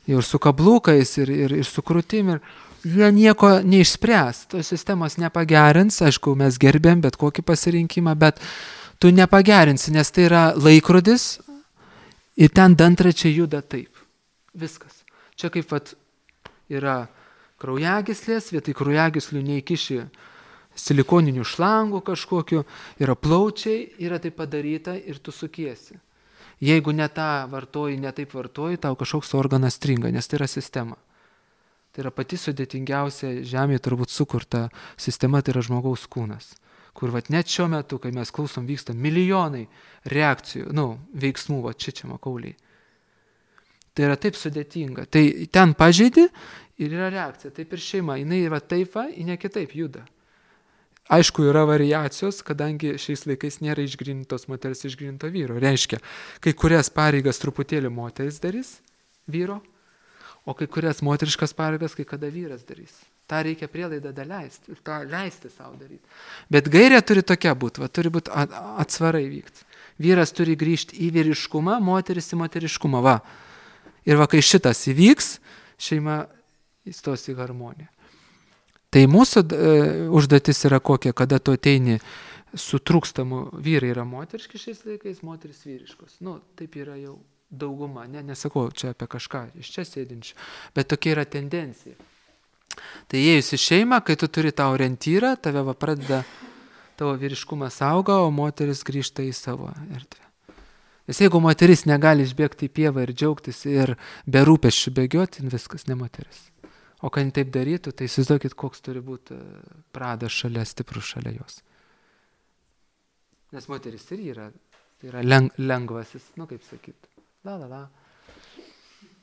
jau ir su kablukais, ir, ir, ir su krūtim, ir jie nieko neišspręs, tos sistemos nepagerins, aišku, mes gerbėm bet kokį pasirinkimą, bet tu nepagerinsi, nes tai yra laikrodis ir ten dantračiai juda taip. Viskas. Čia kaip vat, yra kraujagyslės, vietoj kraujagyslių neįkiši silikoninių šlangų kažkokiu, yra plaučiai, yra tai padaryta ir tu sukiesi. Jeigu ne tą vartoji, ne taip vartoji, tau kažkoks organas stringa, nes tai yra sistema. Tai yra pati sudėtingiausia žemėje turbūt sukurta sistema, tai yra žmogaus kūnas. Kur vat net šiuo metu, kai mes klausom, vyksta milijonai reakcijų, nu, veiksmų, va čia čia makauliai. Tai yra taip sudėtinga. Tai ten pažeidi ir yra reakcija. Taip ir šeima, jinai va taip va, ji ne kitaip juda. Aišku, yra variacijos, kadangi šiais laikais nėra išgrynintos moters išgryninto vyro. Reiškia, kai kurias pareigas truputėlį moteris darys, vyro, o kai kurias moteriškas pareigas, kai kada vyras darys. Ta reikia prielaidą daleisti ir tą leisti savo daryti. Bet gairė turi tokia būti, va, turi būti atsvarai vykti. Vyras turi grįžti į vyriškumą, moteris į moteriškumą. Va. Ir va, kai šitas įvyks, šeima įstos į harmoniją. Tai mūsų e, užduotis yra kokia, kada tu ateini su trūkstamu, vyrai yra moteriški šiais laikais, moteris vyriškos. Nu, taip yra jau dauguma, ne, nesakau čia apie kažką iš čia sėdinčių, bet tokia yra tendencija. Tai įėjus į šeimą, kai tu turi tą orientyrą, tave va pradeda, tavo vyriškumas auga, o moteris grįžta į savo erdvę. Nes jeigu moteris negali išbėgti į pievą ir džiaugtis ir be rūpesčių bėgioti, viskas, ne moteris. O kai taip darytų, tai įsivaizduokit, koks turi būti pradas šalia, stiprus šalia jos. Nes moteris ir yra, tai yra leng, lengvasis, nu kaip sakyt, la la la.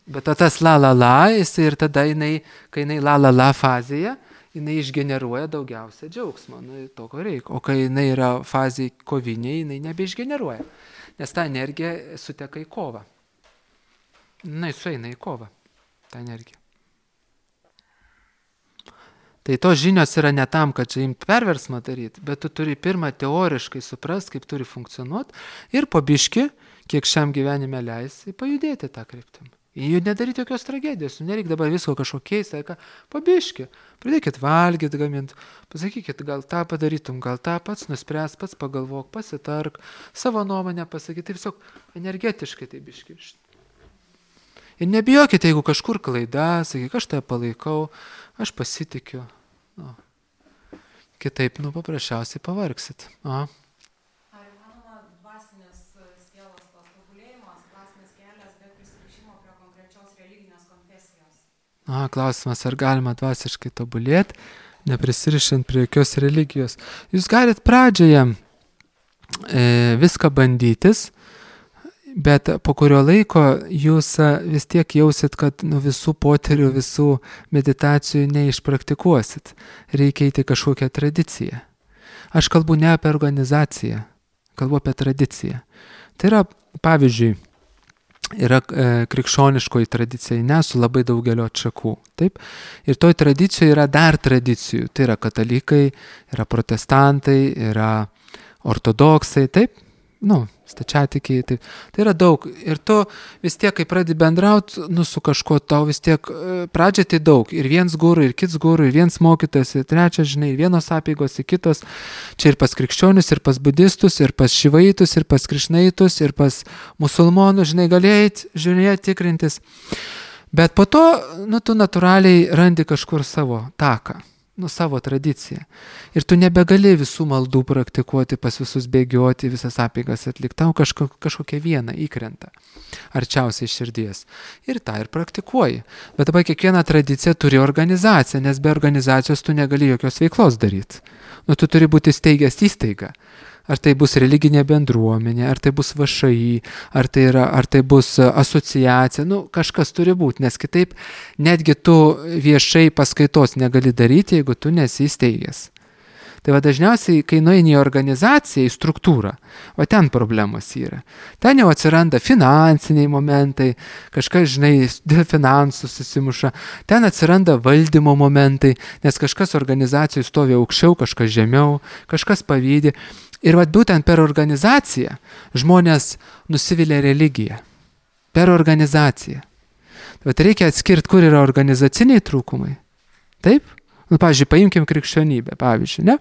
Bet tas la la la, jisai ir tada jinai, kai jinai la la la fazėje, jinai išgeneruoja daugiausia džiaugsmo, nu, to ko reikia. O kai jinai yra fazėje kovinėje, jinai nebeišgeneruoja, nes ta energija suteka į kovą. Jinai sueina į kovą, ta energija. Tai tos žinios yra ne tam, kad čia imti perversmą daryti, bet tu turi pirmą teoriškai suprast, kaip turi funkcionuoti ir po biški, kiek šiam gyvenime leisi, pajudėti tą kryptimą. Jų nedaryti jokios tragedijos, nereikia dabar visko kažko keisti, ką, pabiški, pradėkit valgyti, gaminti, pasakykit, gal tą padarytum, gal tą pats nuspręs, pats pagalvok, pasitark, savo nuomonę pasakyti, taip tiesiog energetiškai tai biški. Ir nebijokite, jeigu kažkur klaida, sakyk, aš tave palaikau, aš pasitikiu, nu, kitaip, nu, paprasčiausiai pavargsit. Aha. A, klausimas, ar galima dvasiškai tobulėti, neprisirišant prie jokios religijos. Jūs galit pradžioje e, viską bandytis, bet po kurio laiko jūs vis tiek jausit, kad nu, visų poterių, visų meditacijų neišpraktikuosit. Reikia eiti kažkokią tradiciją. Aš kalbu ne apie organizaciją, kalbu apie tradiciją. Tai yra, pavyzdžiui, yra e, krikščioniškoji tradicija, ne, su labai daugelio atšakų. Taip? Ir toj tradicijoje yra dar tradicijų. Tai yra katalikai, yra protestantai, yra ortodoksai, taip? Nu, stačiatikiai, taip. Tai yra daug. Ir tu vis tiek, kai pradedi bendrauti, nu, su kažkuo, tau vis tiek pradžia tai daug. Ir viens guru, ir kits guru, ir viens mokytas, ir trečias, žinai, ir vienos apeigos, ir kitos. Čia ir pas krikščionius, ir pas budistus, ir pas šivaitus, ir pas krišnaitus, ir pas musulmonus, žinai, galėjai žiūrėti, tikrintis. Bet po to, nu, tu natūraliai randi kažkur savo taką. Nu, savo tradiciją. Ir tu nebegali visų maldų praktikuoti, pas visus bėgioti, visas apeigas atlikti. Tau kažko, kažkokia viena įkrenta arčiausiai širdies. Ir tą ir praktikuoji. Bet dabar kiekviena tradicija turi organizaciją, nes be organizacijos tu negali jokios veiklos daryti. Nu, tu turi būti steigęs įstaigą. Ar tai bus religinė bendruomenė, ar tai bus V Š I, ar tai, yra, ar tai bus asociacija, nu kažkas turi būti, nes kitaip netgi tu viešai paskaitos negali daryti, jeigu tu nesi įsteigęs. Tai va dažniausiai, kai nueini į organizaciją, į struktūrą, o ten problemos yra. Ten jau atsiranda finansiniai momentai, kažkas, žinai, dėl finansų susimuša, ten atsiranda valdymo momentai, nes kažkas organizacijai stovi aukščiau, kažkas žemiau, kažkas pavydi. Ir vat būtent per organizaciją žmonės nusivilia religiją. Per organizaciją. Vat reikia atskirti, kur yra organizaciniai trūkumai. Taip? Nu, pavyzdžiui, paimkim krikščionybę, pavyzdžiui, ne?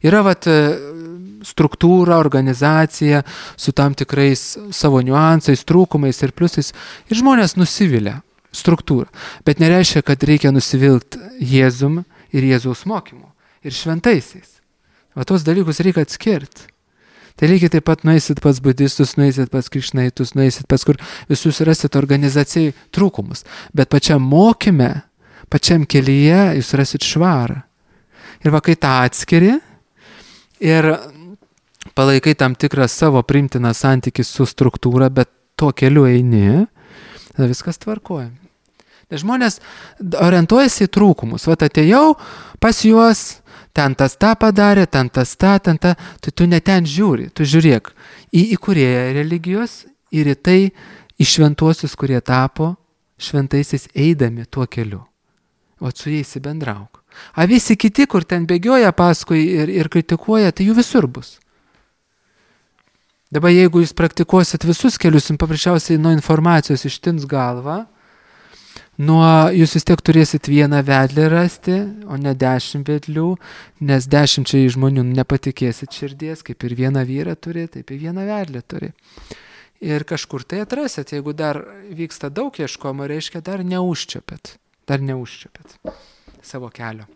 Yra vat struktūra, organizacija su tam tikrais savo niuansais, trūkumais ir pliusais. Ir žmonės nusivilia struktūrą. Bet nereiškia, kad reikia nusivilti Jėzum ir Jėzaus mokymu. Ir šventaisiais. O tos dalykus reikia atskirti. Tai lygiai taip pat nueisit pas budistus, nueisit pas krišnaitus, nueisit pas kur visus rasit organizacijai trūkumus. Bet pačiam mokyme, pačiam kelyje jūs rasit švarą. Ir va, kai tą atskiri ir palaikai tam tikrą savo primtiną santykį su struktūra, bet tuo keliu eini, tada viskas tvarkoja. Nes žmonės orientuojasi į trūkumus. Va, atėjau pas juos, ten tas tą padarė, ten tas tą, ten tą, tai tu ne ten žiūri, tu žiūrėk į įkūrėją religijos ir į tai, į šventuosius, kurie tapo šventaisiais eidami tuo keliu. O su jais bendrauk. A visi kiti, kur ten bėgioja paskui ir, ir kritikuoja, tai jų visur bus. Dabar jeigu jūs praktikuosit visus kelius, jums paprasčiausiai nuo informacijos ištins galvą, nuo jūs vis tiek turėsit vieną vedlį rasti, o ne dešimt vedlių, nes dešimčiai žmonių nepatikėsit širdies, kaip ir vieną vyrą turi, taip ir vieną vedlį turi. Ir kažkur tai atrasit, jeigu dar vyksta daug ieškoma, reiškia dar neužčiapėt, dar neužčiapėt savo kelio.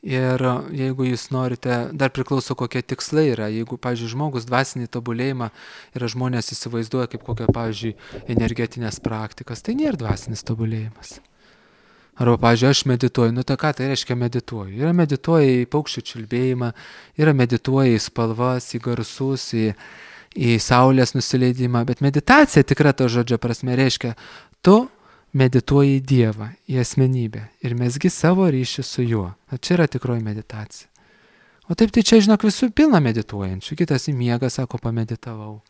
Ir jeigu jūs norite, dar priklauso kokie tikslai yra, jeigu, pavyzdžiui, žmogus dvasinį tobulėjimą yra žmonės įsivaizduoja kaip kokią, pavyzdžiui, energetinės praktikas, tai nėra dvasinis tobulėjimas. Arba, pavyzdžiui, aš medituoju, nu tai ką tai reiškia medituoju? Yra medituoja į paukščių čiulbėjimą, yra medituoja į spalvas, į garsus, į, į saulės nusileidimą, bet meditacija tikra to žodžio prasme reiškia, tu medituoji į Dievą, į asmenybę ir mesgi savo ryšį su juo. O čia yra tikroji meditacija. O taip tai čia, žinok, visų pilna medituojančių. Kitas į miegą, sako, pameditavau.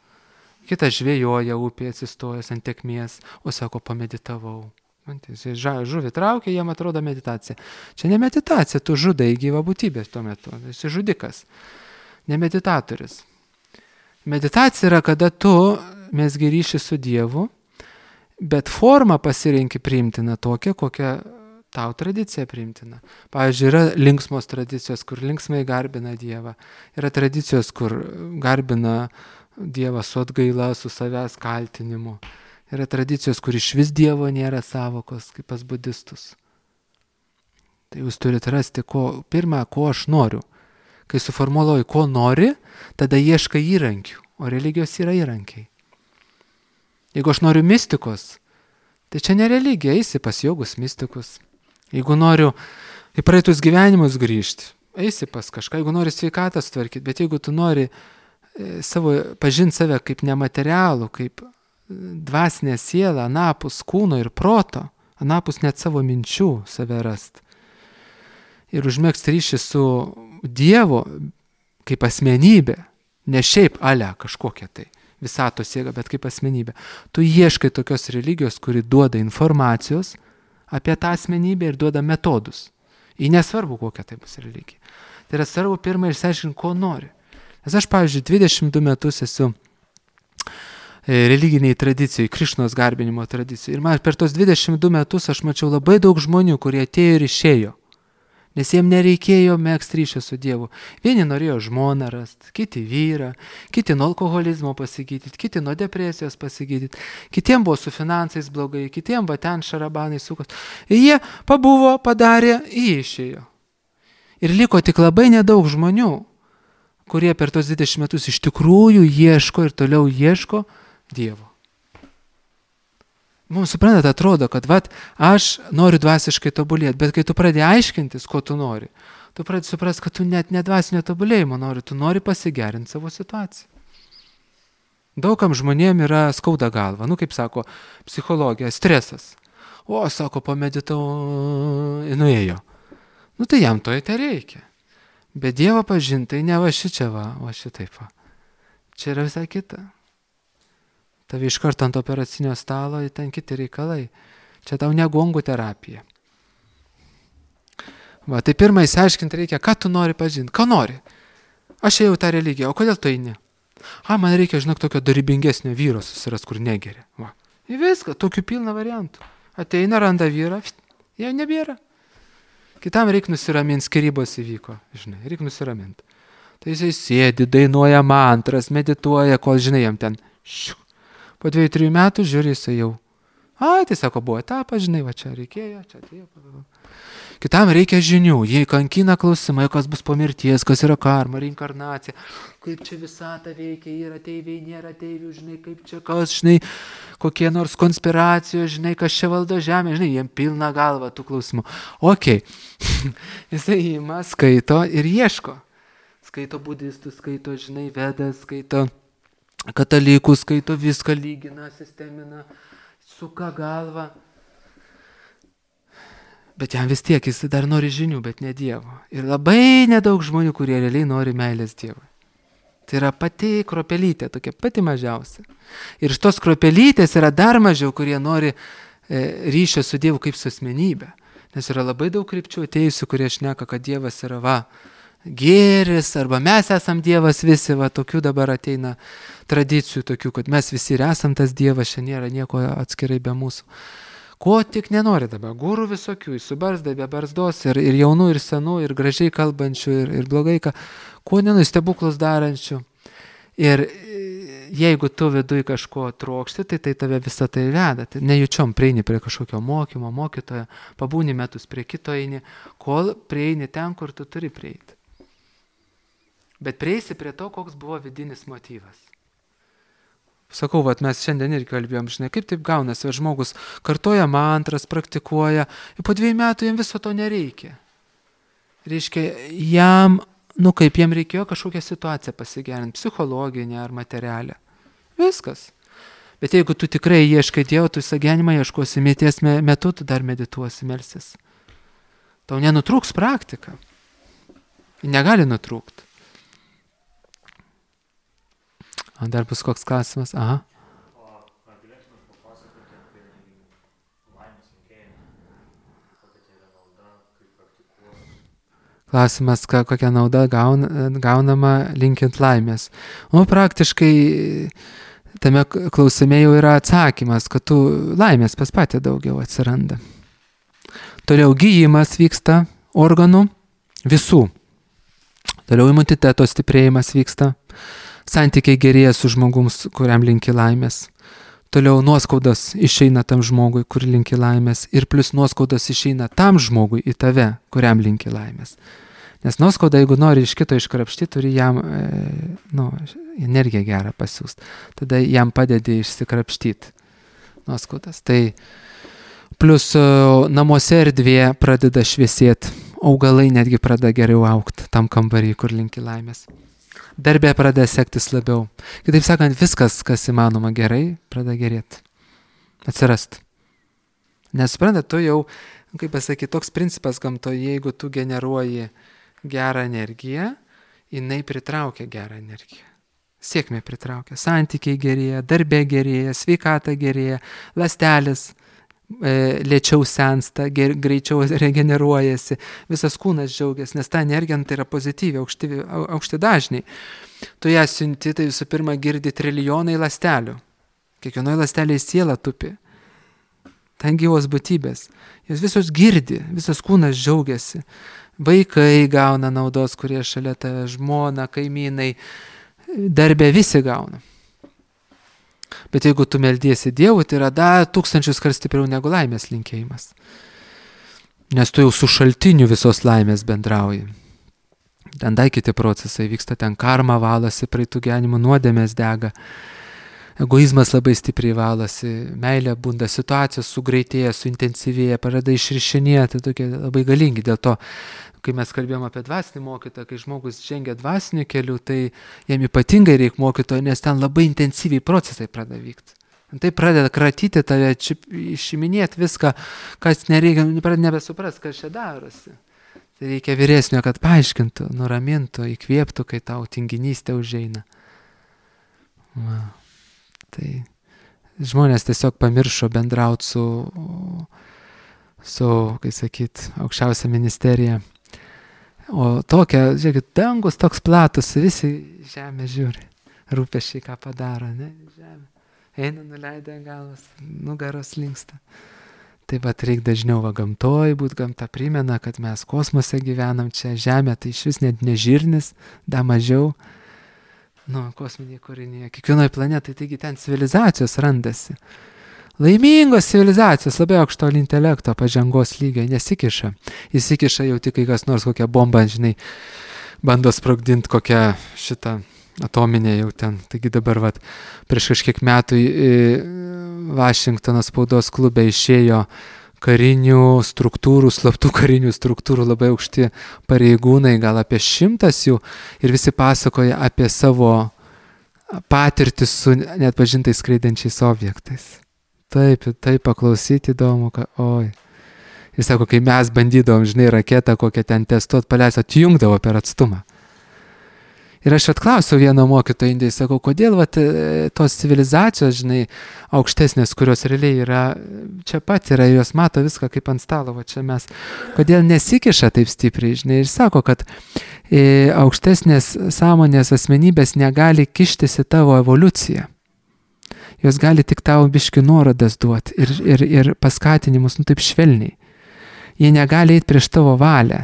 Kitas žvejoja upėje atsistojęs ant tekmės, o sako, pameditavau. Žuvį traukia, jam atrodo meditacija. Čia ne meditacija, tu žudai gyvą būtybę tuo metu. Esi žudikas, ne meditatorius. Meditacija yra, kada tu mesgi ryšį su Dievu, bet formą pasirenki priimtiną tokią, kokią tau tradicija priimtina. Pavyzdžiui, yra linksmos tradicijos, kur linksmai garbina Dievą. Yra tradicijos, kur garbina Dievą su atgaila, su savęs kaltinimu. Yra tradicijos, kur iš vis Dievo nėra savokos, kaip pas budistus. Tai jūs turite rasti, ko, pirmą, ko aš noriu. Kai suformuluoju, ko nori, tada ieškai įrankių, o religijos yra įrankiai. Jeigu aš noriu mistikos, tai čia ne religija, eisi pas jogus mistikus. Jeigu noriu į praeitus gyvenimus grįžti, eisi pas kažką, jeigu nori sveikatą sutvarkyti, bet jeigu tu nori savo, pažinti save kaip nematerialų, kaip dvasinę sielą, anapus kūno ir proto, anapus net savo minčių save rast. Ir užmegzti ryšį su Dievu kaip asmenybė, Ne šiaip ale kažkokia tai visatos jėga, bet kaip asmenybė. Tu ieškai tokios religijos, kuri duoda informacijos apie tą asmenybę ir duoda metodus. Ir nesvarbu, kokia tai bus religija. Tai yra svarbu pirmą išsiaiškinti, ko nori. Nes aš, pavyzdžiui, dvidešimt du metus esu religiniai tradicijai, Krišnos garbinimo tradicijai. Ir man per tos dvidešimt du metus aš mačiau labai daug žmonių, kurie atėjo ir išėjo. Nes jiems nereikėjo megzti ryšio su Dievu. Vieni norėjo žmoną rasti, kiti vyrą, kiti nuo alkoholizmo pasigydyti, kiti nuo depresijos pasigydyti, kitiems buvo su finansais blogai, kitiems va ten šarabanai sukos. Ir jie pabuvo, padarė, jie išėjo. Ir liko tik labai nedaug žmonių, kurie per tos dvidešimt metus iš tikrųjų ieško ir toliau ieško Dievo. Mums, suprantat, atrodo, kad vat, aš noriu dvasiškai tobulėti, bet kai tu pradedi aiškintis, ko tu nori, tu pradedi suprasti, kad tu net ne dvasinio tobulėjimo nori, tu nori pasigerinti savo situaciją. Daugam žmonėm yra skauda galva, nu kaip sako psichologija, stresas. O, sako, pameditau, nuėjo. Nu tai jam to tai reikia. Bet Dievą pažintai ne va šičia va, o šitaip va. Čia yra visai kita. Tavi iš karto ant operacinio stalo, ten kiti reikalai. Čia tau ne gongų terapija. Va, tai pirmą įsiaiškinti reikia, ką tu nori pažinti. Ką nori? Aš ėjau tą religiją, o kodėl tu eini? A, man reikia, žinok, tokio darybingesnio vyro susiras, kur negeria. Va. Ir viską, tokių pilna variantų. Ateina, randa vyrą, jau nebėra. Kitam reikia nusiraminti, skyrybos įvyko, žinai, reikia nusiraminti. Tai jisai sėdi, dainuoja mantras, medituoja, kol, žinai, jam ten šiu. Po dviejų, trijų metų žiūri jisai jau. Ai, tai sako, buvo etapas, žinai, va čia reikėjo, čia atėjo. Kitam reikia žinių, jie kankina klausimai, kas bus po mirties, kas yra karma, reinkarnacija, kaip čia visata veikia, yra ateiviai, nėra ateivių, žinai, kaip čia kas, žinai, kokie nors konspiracijos, žinai, kas čia valdo žemė, žinai, jiem pilna galva tų klausimų. Ok, jisai ima, skaito ir ieško. Skaito budistų, skaito, žinai, vedas, skaito katalikų, skaito viską, lygina, sistemina, suka galvą. Bet jam vis tiek jis dar nori žinių, bet ne Dievo. Ir labai nedaug žmonių, kurie realiai nori meilės Dievui. Tai yra pati kropelytė, tokia pati mažiausia. Ir iš tos kropelytės yra dar mažiau, kurie nori e, ryšio su Dievu kaip su asmenybė. Nes yra labai daug krypčių atėjusių, kurie šneka, kad Dievas yra va, gėris, arba mes esam Dievas visi, va, tokių dabar ateina tradicijų tokių, kad mes visi ir esam tas Dievas, čia nėra nieko atskirai be mūsų. Ko tik nenori dabar, gurų visokių, su barzda, be barzdos, ir, ir jaunų, ir senų, ir gražiai kalbančių, ir, ir blogai, ką, ko nenui stebuklus darančių. Ir jeigu tu viduj kažko trokšti, tai tai tave visą tai veda. Tai nejučiom prieini prie kažkokio mokymo, mokytojo, pabūni metus prie kito eini, kol prieini ten, kur tu turi prieiti. Bet prieisi prie to, koks buvo vidinis motyvas. Sakau, vat mes šiandien irgi kalbėjom, žinai, kaip taip gaunasi, kad žmogus kartoja mantras, praktikuoja, ir po dviejų metų jam viso to nereikia. Reiškia, jam, nu kaip jam reikėjo kažkokią situaciją pasigerinti, psichologinę ar materialę. Viskas. Bet jeigu tu tikrai ieškai Dievo, tu visą gyvenimą ieškosi, mirties metu tu dar medituosi, melsis. Tau nenutrūks praktika. Negali nutrūkti. O dar bus koks klausimas? Aha. O ar galėtumės papasakoti apie laimės linkėjimą? Kokia tai yra nauda, kaip praktikuoti? Klausimas, kokia nauda gauna, gaunama linkint laimės. O praktiškai tame klausime jau yra atsakymas, kad tu laimės pas patį daugiau atsiranda. Toliau gyjimas vyksta organų visų. Toliau imuniteto stiprėjimas vyksta. Santykiai gerėja su žmogums, kuriam linki laimės. Toliau nuoskaudas išeina tam žmogui, kur linki laimės. Ir plus nuoskaudas išeina tam žmogui į tave, kuriam linki laimės. Nes nuoskauda, jeigu nori iš kito iškrapštyti, turi jam e, nu, energiją gerą pasiūsti. Tada jam padedi išsikrapštyti nuoskaudas. Tai plus namuose erdvė pradeda šviesėti. Augalai netgi pradeda geriau augti tam kambarį, kur linki laimės. Darbė pradeda sektis labiau. Kitaip sakant, viskas, kas įmanoma gerai, pradeda gerėti. Atsirast. Nes, suprantat, tu jau, kaip pasakyti, toks principas gamtoje, jeigu tu generuoji gerą energiją, jinai pritraukia gerą energiją. Sėkmė pritraukia. Santykiai gerėja, darbė gerėja, sveikata gerėja, ląstelės e, lėčiau sensta, ger, greičiau regeneruojasi, visas kūnas džiaugiasi, nes ta energija tai yra pozityvi, aukšti, aukšti dažniai. Tu ją siunti, tai visų pirma girdi trilijonai ląstelių. Kiekvienoje ląstelėje siela tupi. Ten gyvos būtybės. Jos visos girdi, visas kūnas džiaugiasi. Vaikai gauna naudos, kurie šalia tave, žmona, kaimynai, darbė visi gauna. Bet jeigu tu meldiesi Dievui, tai yra dar tūkstančius kart stipriau negu laimės linkėjimas. Nes tu jau su šaltiniu visos laimės bendrauji. Ten dar kiti procesai vyksta, ten karma valasi, praeitų gyvenimų nuodėmės dega, egoizmas labai stipriai valasi, meilė bunda, situacijos sugreitėja, suintensyvėja, pradeda išrišinėti, tokie labai galingi. Dėl to, kai mes kalbėjom apie dvasinį mokytoją, kai žmogus žengia dvasiniu keliu, tai jam ypatingai reikia mokytojo, nes ten labai intensyviai procesai pradeda vykti. Tai pradeda kratyti tave, išiminėti viską, kas nereikia, pradeda nebesupras, kas čia darosi. Tai reikia vyresnio, kad paaiškintų, nuramintų, įkvėptų, kai tau tinginystė užeina. Va. Tai žmonės tiesiog pamiršo bendrauti su, su, kaip sakyt, aukščiausia ministerija. O tokia, žiūrėkit, dangus toks platus, visi žemė žiūri, rūpesčiai ką padaro, ne, žemė. Eina, nuleidę galvas, nugaros linksta. Taip pat reikia dažniau va gamtoj būt, gamta primena, kad mes kosmose gyvenam, čia žemė, tai iš vis net nežirnis, da mažiau, nu, kosminiai kūriniai, kiekvienoje planetai, taigi ten civilizacijos randasi. Laimingos civilizacijos, labai aukšto intelekto, pažangos lygio, nesikiša. Įsikiša jau tik, kai kas nors kokią bombą, žinai, bando sprogdinti kokią šitą atominė jau ten. Taigi dabar vat, prieš kažkiek metų Vašingtono spaudos klube išėjo karinių struktūrų, slaptų karinių struktūrų labai aukšti pareigūnai, gal apie šimtas jų, ir visi pasakoja apie savo patirtį su neatpažintais skraidančiais objektais. Taip, taip paklausyti įdomu, kad oi. Jis sako, kai mes bandydavom, žinai, raketą kokią ten testuot, paleist, atjungdavo per atstumą. Ir aš atklausiau vieno mokytojo Indijai, sakau, kodėl vat, tos civilizacijos, žinai, aukštesnės, kurios realiai yra, čia pat yra, jos mato viską kaip ant stalo, va čia mes, kodėl nesikiša taip stipriai, žinai, ir sako, kad e, aukštesnės sąmonės asmenybės negali kištis į tavo evoliuciją. Jos gali tik tavo biški nuorodas duoti ir, ir, ir paskatinimus, nu taip švelniai. Jie negali eiti prieš tavo valią.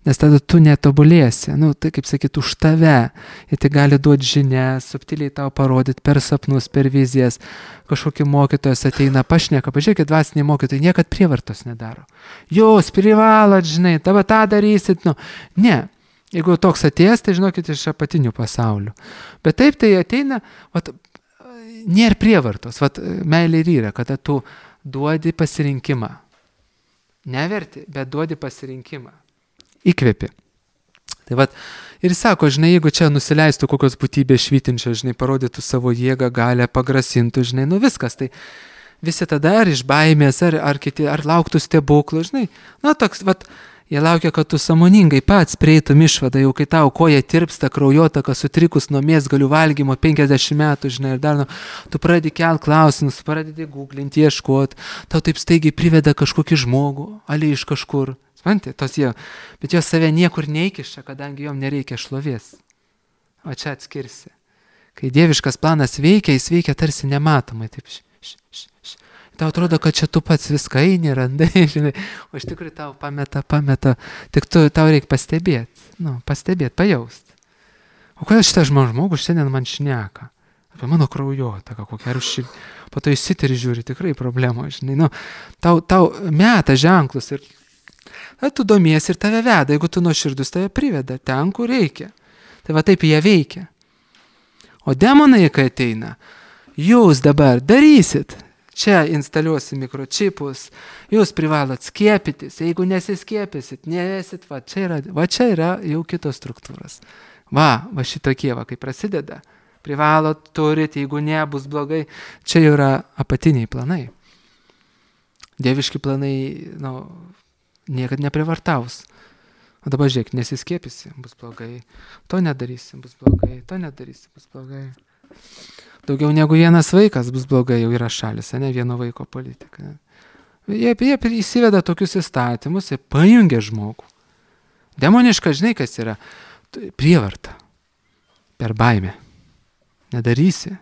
Nes tada tu netobulėsi, nu, tai kaip sakyt, už tave. Jie tai gali duoti žinę, subtiliai tau parodyti per sapnus, per vizijas. Kažkokį mokytojas ateina, pašneka, pažiūrėkit, dvasiniai mokytojai niekad prievartos nedaro. Jūs privalot, žinai, tavo tą darysit, nu, ne. Jeigu toks atėjęs, tai žinokit, iš apatinių pasaulių. Bet taip tai ateina, vat, nėra prievartos, vat, meilė ir yra, kada tu duodi pasirinkimą. Neverti, bet duodi pasirinkimą. Įkvėpi. Tai vat, ir sako, žinai, jeigu čia nusileistų kokios būtybės švytinčios, žinai, parodytų savo jėgą, galę, pagrasintų, žinai, nu viskas, tai visi tada ar iš baimės, ar, ar kiti, ar lauktų stebuklų, žinai, nu toks, vat, jie laukia, kad tu sąmoningai pats prieitum išvadą, jau kai tau koja tirpsta, kraujotaka sutrikus nuo mėsgalių valgymo penkiasdešimt metų, žinai, ir dar, nu, tu pradedi kelt klausimus, pradedi googlinti, ieškoti, tau taip staigiai priveda kažkokį žmogų, ali iš kažkur. Mantai, tos jie, bet jos save niekur neįkiša, kadangi jom nereikia šlovės. O čia atskirsi. Kai dieviškas planas veikia, jis veikia tarsi nematomai. Taip, š, š, š, š. Tau atrodo, kad čia tu pats viską eini, randai, žinai, o iš tikrųjų tau pameta, pameta, tik tu, tau reikia pastebėti, nu, pastebėti, pajausti. O kodėl šitas žmogus šiandien man šneka? Apie mano kraujotaką, kokią rušį, po to įsitiri žiūri, tikrai problema, žinai, nu, tau, tau meta ženklus ir tu domiesi ir tave veda, jeigu tu nuoširdus, tave priveda ten, kur reikia. Tai va taip jie veikia. O demonai, kai ateina, jūs dabar darysit, čia instaliuosi mikročipus, jūs privalot skiepytis, jeigu nesiskiepysit, nevesit, va čia yra, va čia yra jau kitos struktūros. Va, va šitokie, va, kai prasideda, privalot, turit, jeigu ne, bus blogai, čia yra apatiniai planai. Dieviški planai, nu, niekad neprivartaus. O dabar žiūrėk, nesiskiepysi, bus blogai. To nedarysi, bus blogai. To nedarysi, bus blogai. Daugiau negu vienas vaikas bus blogai, jau yra šalis, ne vieno vaiko politika. Ne? Jie, jie įsiveda tokius įstatymus, jie pajungia žmogų. Demoniška, žinai, kas yra? Prievarta. Per baimę. Nedarysi,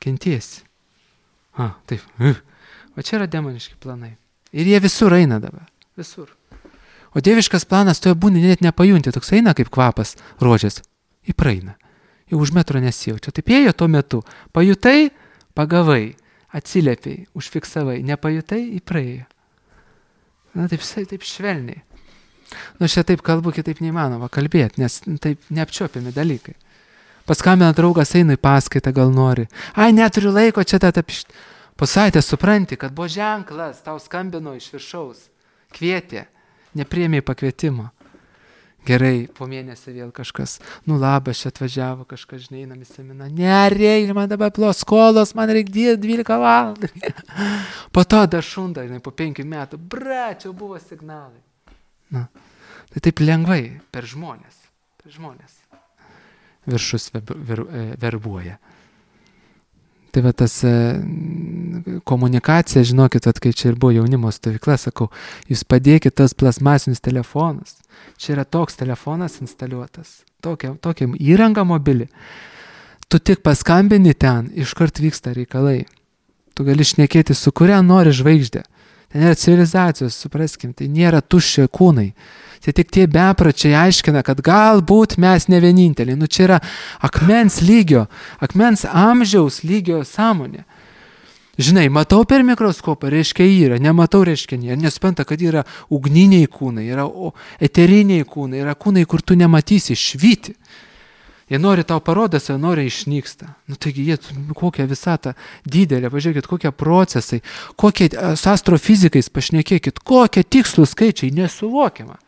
kentiesi. A, taip. O čia yra demoniški planai. Ir jie visur eina dabar. Visur. O dieviškas planas toje būni net nepajunti, toks eina kaip kvapas rožės. Į praeina. Jau už metro nesijaučia. Taip ėjo tuo metu. Pajutai, pagavai, atsiliepiai, užfiksavai. Nepajutai, į praėjo. Na taip, taip švelniai. Nu aš čia taip kalbu, kitaip neįmanoma kalbėti, nes taip neapčiopiami dalykai. Paskambina draugas, eina į paskaitą, gal nori. Ai, neturiu laiko, čia tą tapišt. Po savaitės supranti, kad buvo ženklas, tau skambino iš viršaus. Kvietė. Nepriėmė pakvietimo. Gerai, po mėnesį vėl kažkas, nu labas, čia atvažiavo kažkas, žinai, einam į seminarą. Nereikia, man dabar plos skolos, man reikia dvylika valandų. Po to dar šunda, žinai, po penkių metų, bra, čia buvo signalai. Na, tai taip lengvai, per žmonės, per žmonės. Viršus ver, ver, verbuoja. Tai va tas e, komunikacija, žinokit, at, kai čia ir buvo jaunimo stovykla, sakau, jūs padėkit tas plasmasinius telefonus. Čia yra toks telefonas instaliuotas, tokia, tokia įranga mobili. Tu tik paskambini ten, iškart vyksta reikalai. Tu gali šnekėti su kuria nori žvaigždė. Tai nėra civilizacijos, supraskim, tai nėra tuščio kūnai. Tai tik tie bepračiai aiškina, kad galbūt mes ne vieninteliai. Nu čia yra akmens lygio, akmens amžiaus lygio sąmonė. Žinai, matau per mikroskopą, reiškia yra, nematau, reiškia nėra. Nesupranta, kad yra ugniniai kūnai, yra eteriniai kūnai, yra kūnai, kur tu nematysi, švyti. Jie nori tau parodas, jie nori išnyksta. Nu taigi jie, kokia visata didelė, pažiūrėkit, kokie procesai, kokie su astrofizikais pašnekėkit, kokie tikslų skaičiai, nesuvokiama.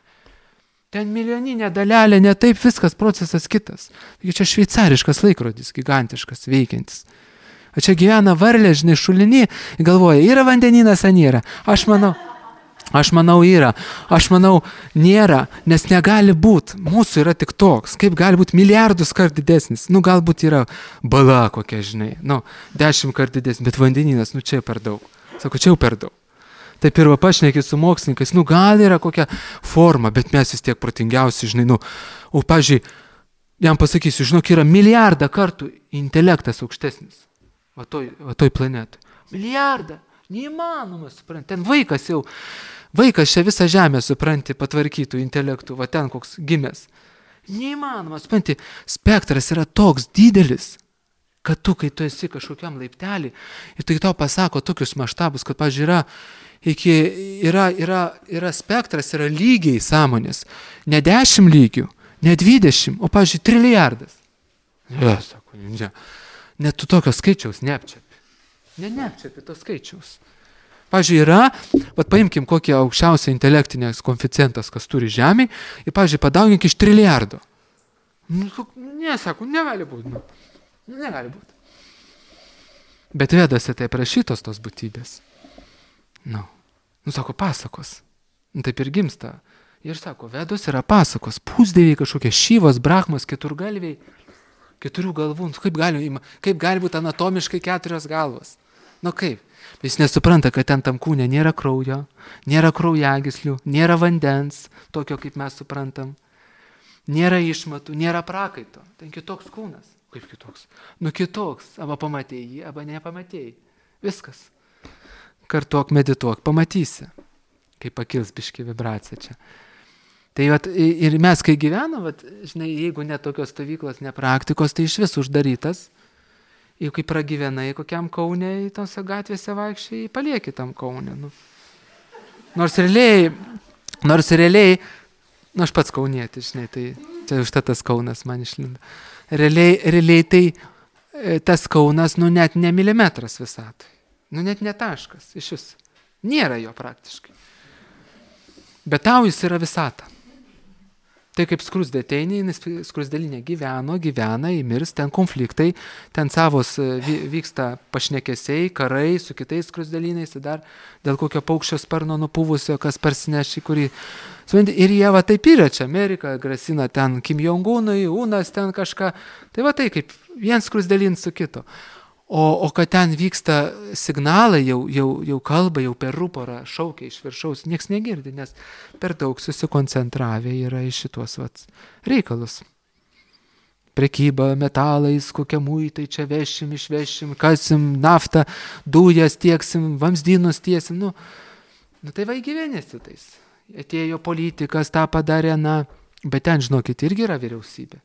Ten milijoninė dalelė, ne taip viskas, procesas kitas. Taigi čia šveicariškas laikrodis, gigantiškas, veikiantis. O čia gyvena varlė, žinai, šulinį, galvoja, yra vandeninas, ar nėra. Aš manau, aš manau, yra. Aš manau, nėra, nes negali būti. Mūsų yra tik toks. Kaip gali būti milijardus kart didesnis? Nu, galbūt yra bala kokia, žinai. Nu, dešimt kart didesnis, bet vandeninas, nu, čia per daug. Sako, čia jau per daug. Taip ir va pašnekit su mokslininkais, nu gal yra kokia forma, bet mes vis tiek protingiausi, žinai, nu, o, pažiūrėjau, jam pasakysiu, žinok, yra milijardą kartų intelektas aukštesnis, va toj, va toj planetoj. Milijardą, neįmanoma, supranti, ten vaikas jau, vaikas čia visą žemę, supranti, patvarkytų intelektų, va ten koks gimęs. Neįmanoma, supranti, spektras yra toks didelis, kad tu, kai tu esi kažkokiam laiptelį, ir tai tau pasako tokius maštabus, kad, pažiūrėjau, yra Iki, yra, yra, yra spektras, yra lygiai sąmonės. Ne dešimt lygių, ne dvidešimt, o, pavyzdžiui, trilijardas. Ne, sako, ne. Net tu tokio skaičiaus neapčiapi. Ne, neapčiapi to skaičiaus. Pavyzdžiui, yra, bet paimkim kokį aukščiausią intelektinės koeficientas, kas turi žemėj, ir, pavyzdžiui, padaugink iš trilijardo. Nu, ne, sako, negali būti. Nu, negali būti. Bet vedasi tai prašytos tos būtybės. Nu, nu, sako, pasakos. Nu, taip ir gimsta. Ir sako, vedos yra pasakos. Pusdieviai kažkokie šyvos, brahmos, keturgalviai, keturių galvų. Nu, kaip gali, kaip gali būti anatomiškai keturios galvos? Nu, kaip? Jis nesupranta, kad ten tam kūne nėra kraujo, nėra kraujagyslių, nėra vandens, tokio, kaip mes suprantam. Nėra išmatų, nėra prakaito. Ten kitoks kūnas. Kaip kitoks? Nu, kitoks. Arba pamatėjai jį, arba nepamatėjai. Viskas. Kartuok, medituok, pamatysi, kaip pakils biški vibracija čia. Tai vat, ir mes, kai gyvenam, vat, žinai, jeigu ne tokios stovyklos, ne praktikos, tai iš vis uždarytas. Jeigu kai pragyvenai kokiam Kaune, į tose gatvėse vaikščiai, palieki tam Kaune. Nu. Nors realiai, nors realiai, nu aš pats kaunietis, žinai, tai čia už tas Kaunas man išlindo. Realiai, realiai tai tas Kaunas, nu net ne milimetras visatoj. Nu net ne taškas, iš vis. Nėra jo praktiškai. Bet tau jis yra visata. Tai kaip skrusdė ateini, skrusdėlinė gyveno, gyvena, įmirs, ten konfliktai, ten savos vyksta pašnekesiai, karai su kitais skrusdėlynais, dar dėl kokio paukščio sparno nupuvusio, kas parsineši, kurį... Ir jie va taip yra čia, Amerika grasina ten Kim Jong-unui, Unas ten kažką. Tai va tai kaip vien skrusdėlyn su kito. O, o kad ten vyksta signalai, jau, jau, jau kalba, jau per ruporą šaukia iš viršaus, nieks negirdi, nes per daug susikoncentravę yra į šitos vat, reikalus. Prekyba metalais, kokie muitai čia vešim, išvešim, kasim naftą, dujas tieksim, vamzdynus tiesim. Nu, nu tai va įgyvenėsi tais. Atėjo politikas, tą padarė, na, bet ten, žinokit, irgi yra vyriausybė.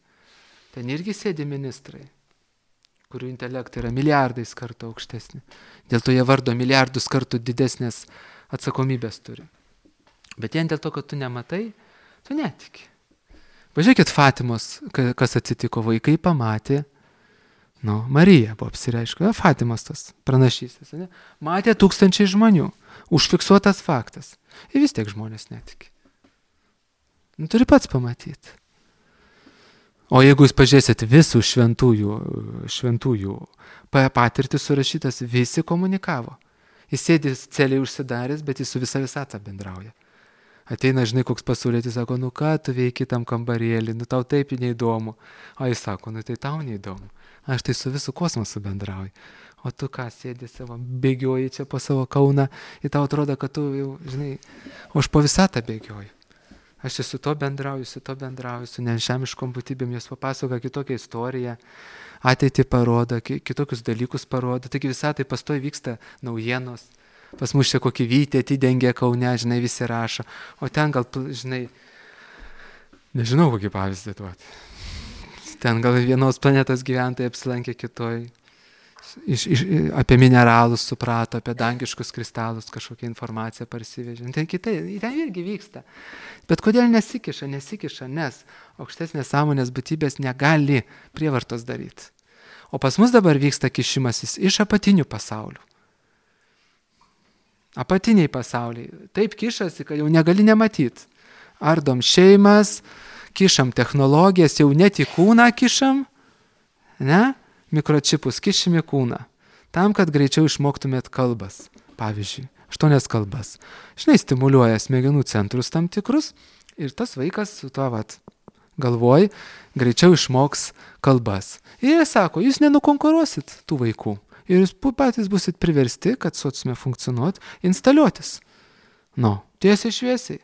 Ten irgi sėdi ministrai, kurių intelektai yra milijardais kartų aukštesni. Dėl to jie vardo milijardus kartų didesnės atsakomybės turi. Bet vien dėl to, kad tu nematai, tu netiki. Pažiūrėkit Fatimos, kas atsitiko, vaikai pamatė, nu, Marija buvo apsireiškė, Fatimos tas pranašystės, ne? Matė tūkstančiai žmonių, užfiksuotas faktas. Ir vis tiek žmonės netiki. Nu, turi pats pamatyti. O jeigu jūs pažiūrėsit visų šventųjų, šventųjų patirtis surašytas, visi komunikavo. Jis sėdi celiai užsidaręs, bet jis su visa visata bendrauja. Ateina, žinai, koks pasaulietis, sako, nu ką tu veiki tam kambarėlį, nu tau taip neįdomu. O jis sako, nu tai tau neįdomu. Aš tai su visų kosmosu bendrauju. O tu ką sėdi savo, bėgioji čia po savo Kauną ir tau atrodo, kad tu jau, žinai, o aš po visatą bėgioju. Aš su to bendrauju, su to bendrauju, su nežemiškom būtybėm, jos papasako kitokią istoriją, ateitį parodo, kitokius dalykus parodo, taigi visą tai pastoji vyksta naujienos, pas mus čia kokį vytį atidengia Kaune, žinai, visi rašo, o ten gal, žinai, nežinau kokį pavyzdį duoti, ten gal vienos planetos gyventojai apsilankė kitoj, Iš, iš, apie mineralus suprato, apie dangiškus kristalus kažkokią informaciją parsivežė. Tai kitai, ten irgi vyksta. Bet kodėl nesikiša, nesikiša, nes aukštesnės sąmonės būtybės negali prievartos daryti. O pas mus dabar vyksta kišimasis iš apatinių pasaulių. Apatiniai pasauliai. Taip kišasi, kad jau negali nematyti. Ardom šeimas, kišam technologijas, jau net į kūną kišam, ne? Mikročipus kišim į kūną, tam, kad greičiau išmoktumėt kalbas, pavyzdžiui, aštuonias kalbas. Žinai, stimuliuoja smegenų centrus tam tikrus ir tas vaikas su to vat galvoj greičiau išmoks kalbas. Ir jie sako, jūs nenukonkuruosit tų vaikų ir jūs patys busit priversti, kad sociume funkcionuot, instaliuotis. Nu, tiesiai šviesiai.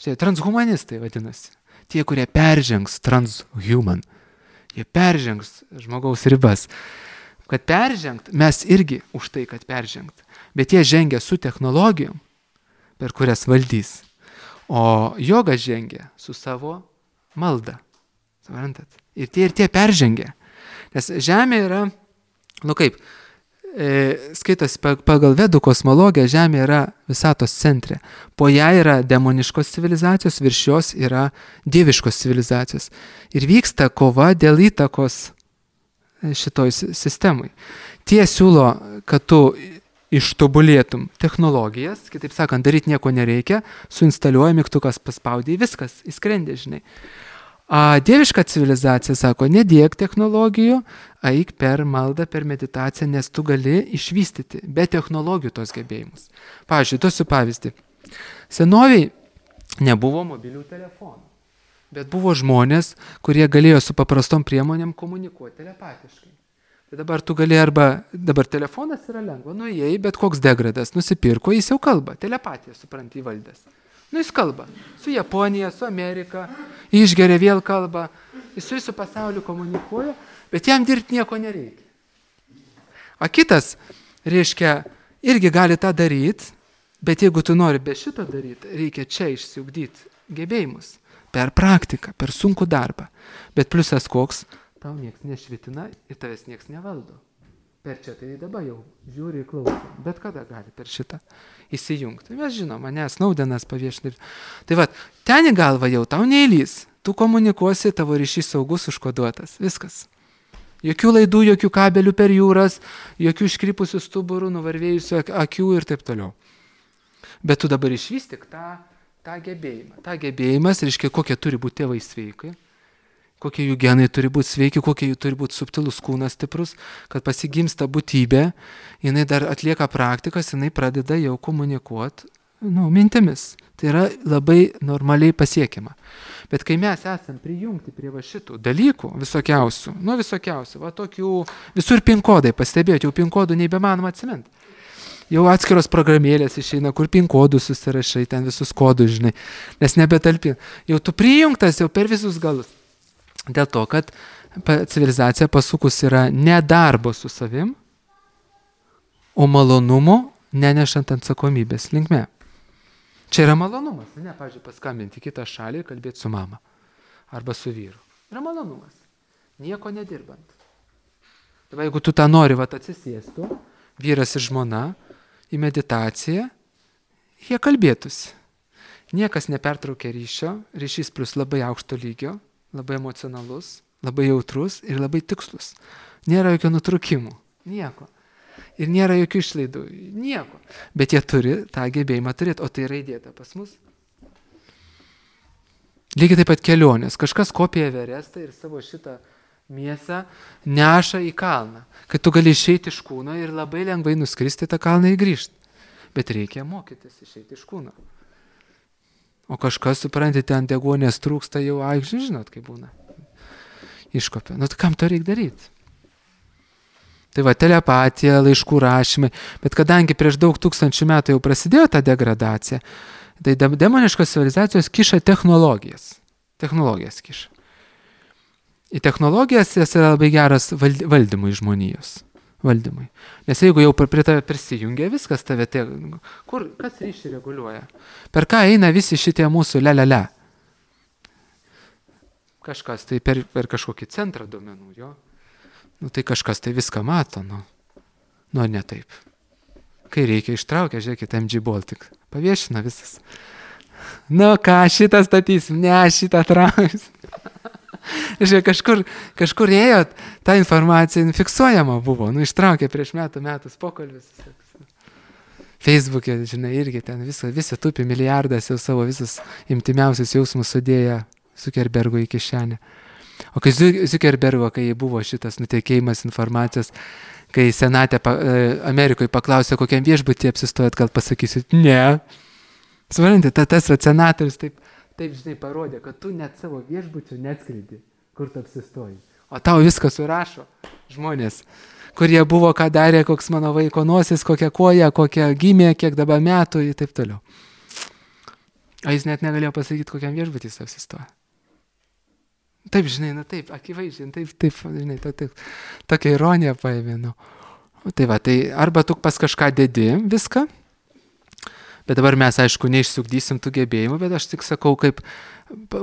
Štai, transhumanistai vadinasi. Tie, kurie peržengs transhuman. Jie peržengs žmogaus ribas. Kad peržengt, mes irgi už tai, kad peržengt. Bet jie žengia su technologijom, per kurias valdys. O joga žengia su savo malda. Suprantat? Ir tie ir tie peržengia. Nes Žemė yra, nu kaip, e, skaitosi pagal vedų kosmologiją, Žemė yra visatos centre. Po ją yra demoniškos civilizacijos, virš jos yra dieviškos civilizacijos. Ir vyksta kova dėl įtakos šitoj sistemai. Tie siūlo, kad tu ištobulėtum technologijas, kitaip sakant, daryti nieko nereikia, suinstaliuoja mygtukas, paspaudė, viskas, įskrendė, žinai. A dieviška civilizacija sako, nedėk technologijų, eik per maldą, per meditaciją, nes tu gali išvystyti be technologijų tos gebėjimus. Pavyzdžiui, duosiu pavyzdį. Senoviai nebuvo mobilių telefonų, bet buvo žmonės, kurie galėjo su paprastom priemonėm komunikuoti telepatiškai. Tai dabar tu gali arba, dabar telefonas yra lengva, nuėjai, bet koks degradas nusipirko, jis jau kalba, telepatiją supranti įvaldęs. Nu, jis kalba su Japonija, su Amerika, išgeria vėl kalba, jis su visų pasauliu komunikuoja, bet jam dirbti nieko nereikia. O kitas, reiškia, irgi gali tą daryti, bet jeigu tu nori be šito daryti, reikia čia išsiugdyti gebėjimus per praktiką, per sunkų darbą. Bet pliusas koks, tau nieks nešvitina ir tavęs nieks nevaldo. Per čia tai dabar jau žiūri ir klauso, bet kada gali per šitą įsijungti. Mes žinom, mane Snowdenas paviešina. Tai va, ten į galvą jau tau neįlys, tu komunikuosi, tavo ryšys saugus, užkoduotas, viskas. Jokių laidų, jokių kabelių per jūras, jokių iškrypusių stuburų, nuvarvėjusių akių ir taip toliau. Bet tu dabar išvystyk tą tą gebėjimą. Ta gebėjimas reiškia, kokie turi būti tėvai sveikai, kokie jų genai turi būti sveiki, kokie jų turi būti subtilus kūnas stiprus, kad pasigimsta būtybė, jinai dar atlieka praktikas, jinai pradeda jau komunikuoti, nu, mintimis. Tai yra labai normaliai pasiekiama. Bet kai mes esam prijungti prie va šitų dalykų visokiausių, nu visokiausių, va tokių, visur pin kodai, pastebėjote, jau pin kodų neįbemanoma atsiminti. Jau atskiros programėlės išeina, kur pin kodų susirašai, ten visus kodus, žinai, nes nebetalpin. Jau tu prijungtas jau per visus galus. Dėl to, kad civilizacija pasukus yra ne darbo su savim, o malonumo nenešant atsakomybės linkme. Čia yra malonumas, ne, pavyzdžiui, paskambinti kitą šalį ir kalbėti su mama arba su vyru. Yra malonumas, nieko nedirbant. Dabar jeigu tu tą nori, vat atsisėstų, vyras ir žmona į meditaciją, jie kalbėtųsi. Niekas nepertraukia ryšio, ryšys plus labai aukšto lygio, labai emocionalus, labai jautrus ir labai tikslus. Nėra jokio nutrūkimų, nieko. Ir nėra jokių išlaidų, nieko. Bet jie turi tą gebėjimą turėti, o tai yra įdėta pas mus. Lygiai taip pat kelionės. Kažkas kopija Everestą ir savo šitą mėsą neša į kalną. Kad tu gali išeiti iš kūno ir labai lengvai nuskristi tą kalną ir grįžti. Bet reikia mokytis išeiti iš kūno. O kažkas, suprantate, ant deguonės trūksta jau, ai, žinot, kaip būna. Iškopia. Nu, tai kam to reikia daryti? Tai va, telepatija, laiškų rašymai, bet kadangi prieš daug tūkstančių metų jau prasidėjo ta degradacija, tai demoniškos civilizacijos kiša technologijas. Technologijas kiša. Į technologijas jas yra labai geras valdymui žmonijos. Valdymui. Nes jeigu jau prie tave prisijungia viskas, tave te... Kur, kas ryšį reguliuoja? Per ką eina visi šitie mūsų le-le-le? Kažkas tai per, per kažkokį centrą duomenų, jo. Nu, tai kažkas tai viską mato, nu. Nu, ne taip. Kai reikia ištraukia, žiūrėkit, M G Baltic. Paviešina visas. Nu, ką, šitą statysim? Ne, šitą trauks. Žiūrėk, kažkur, kažkur ėjo, ta informacija fiksuojama buvo. Nu, ištraukė prieš metų metus pokalbis. Facebook'e, žinai, irgi ten visą, visą tupi milijardas jau savo visus imtimiausius jausmus sudėję Zuckerbergo į kišenę. O kai Zuckerbergo, kai buvo šitas nutekėjimas informacijos, kai senatė pa, Amerikoje paklausė, kokiam viešbutį apsistojat, gal pasakysit, ne. Suprantate, ta, tas va, senatorius taip, taip, žinai, parodė, kad tu net savo viešbučių neatskridi, kur tu apsistoji. O tau viską surašo žmonės, kurie buvo, ką darė, koks mano vaiko nosis, kokia koja, kokia gimė, kiek dabar metų ir taip toliau. O jis net negalėjo pasakyti, kokiam viešbutį jis apsistoja. Taip, žinai, na taip, akivaizdžiai, taip, taip, žinai, taip, taip, tokia ironija paėmė, nu. Tai va, tai arba tu pas kažką dedi viską, bet dabar mes, aišku, neišsukdysim tų gebėjimų, bet aš tik sakau, kaip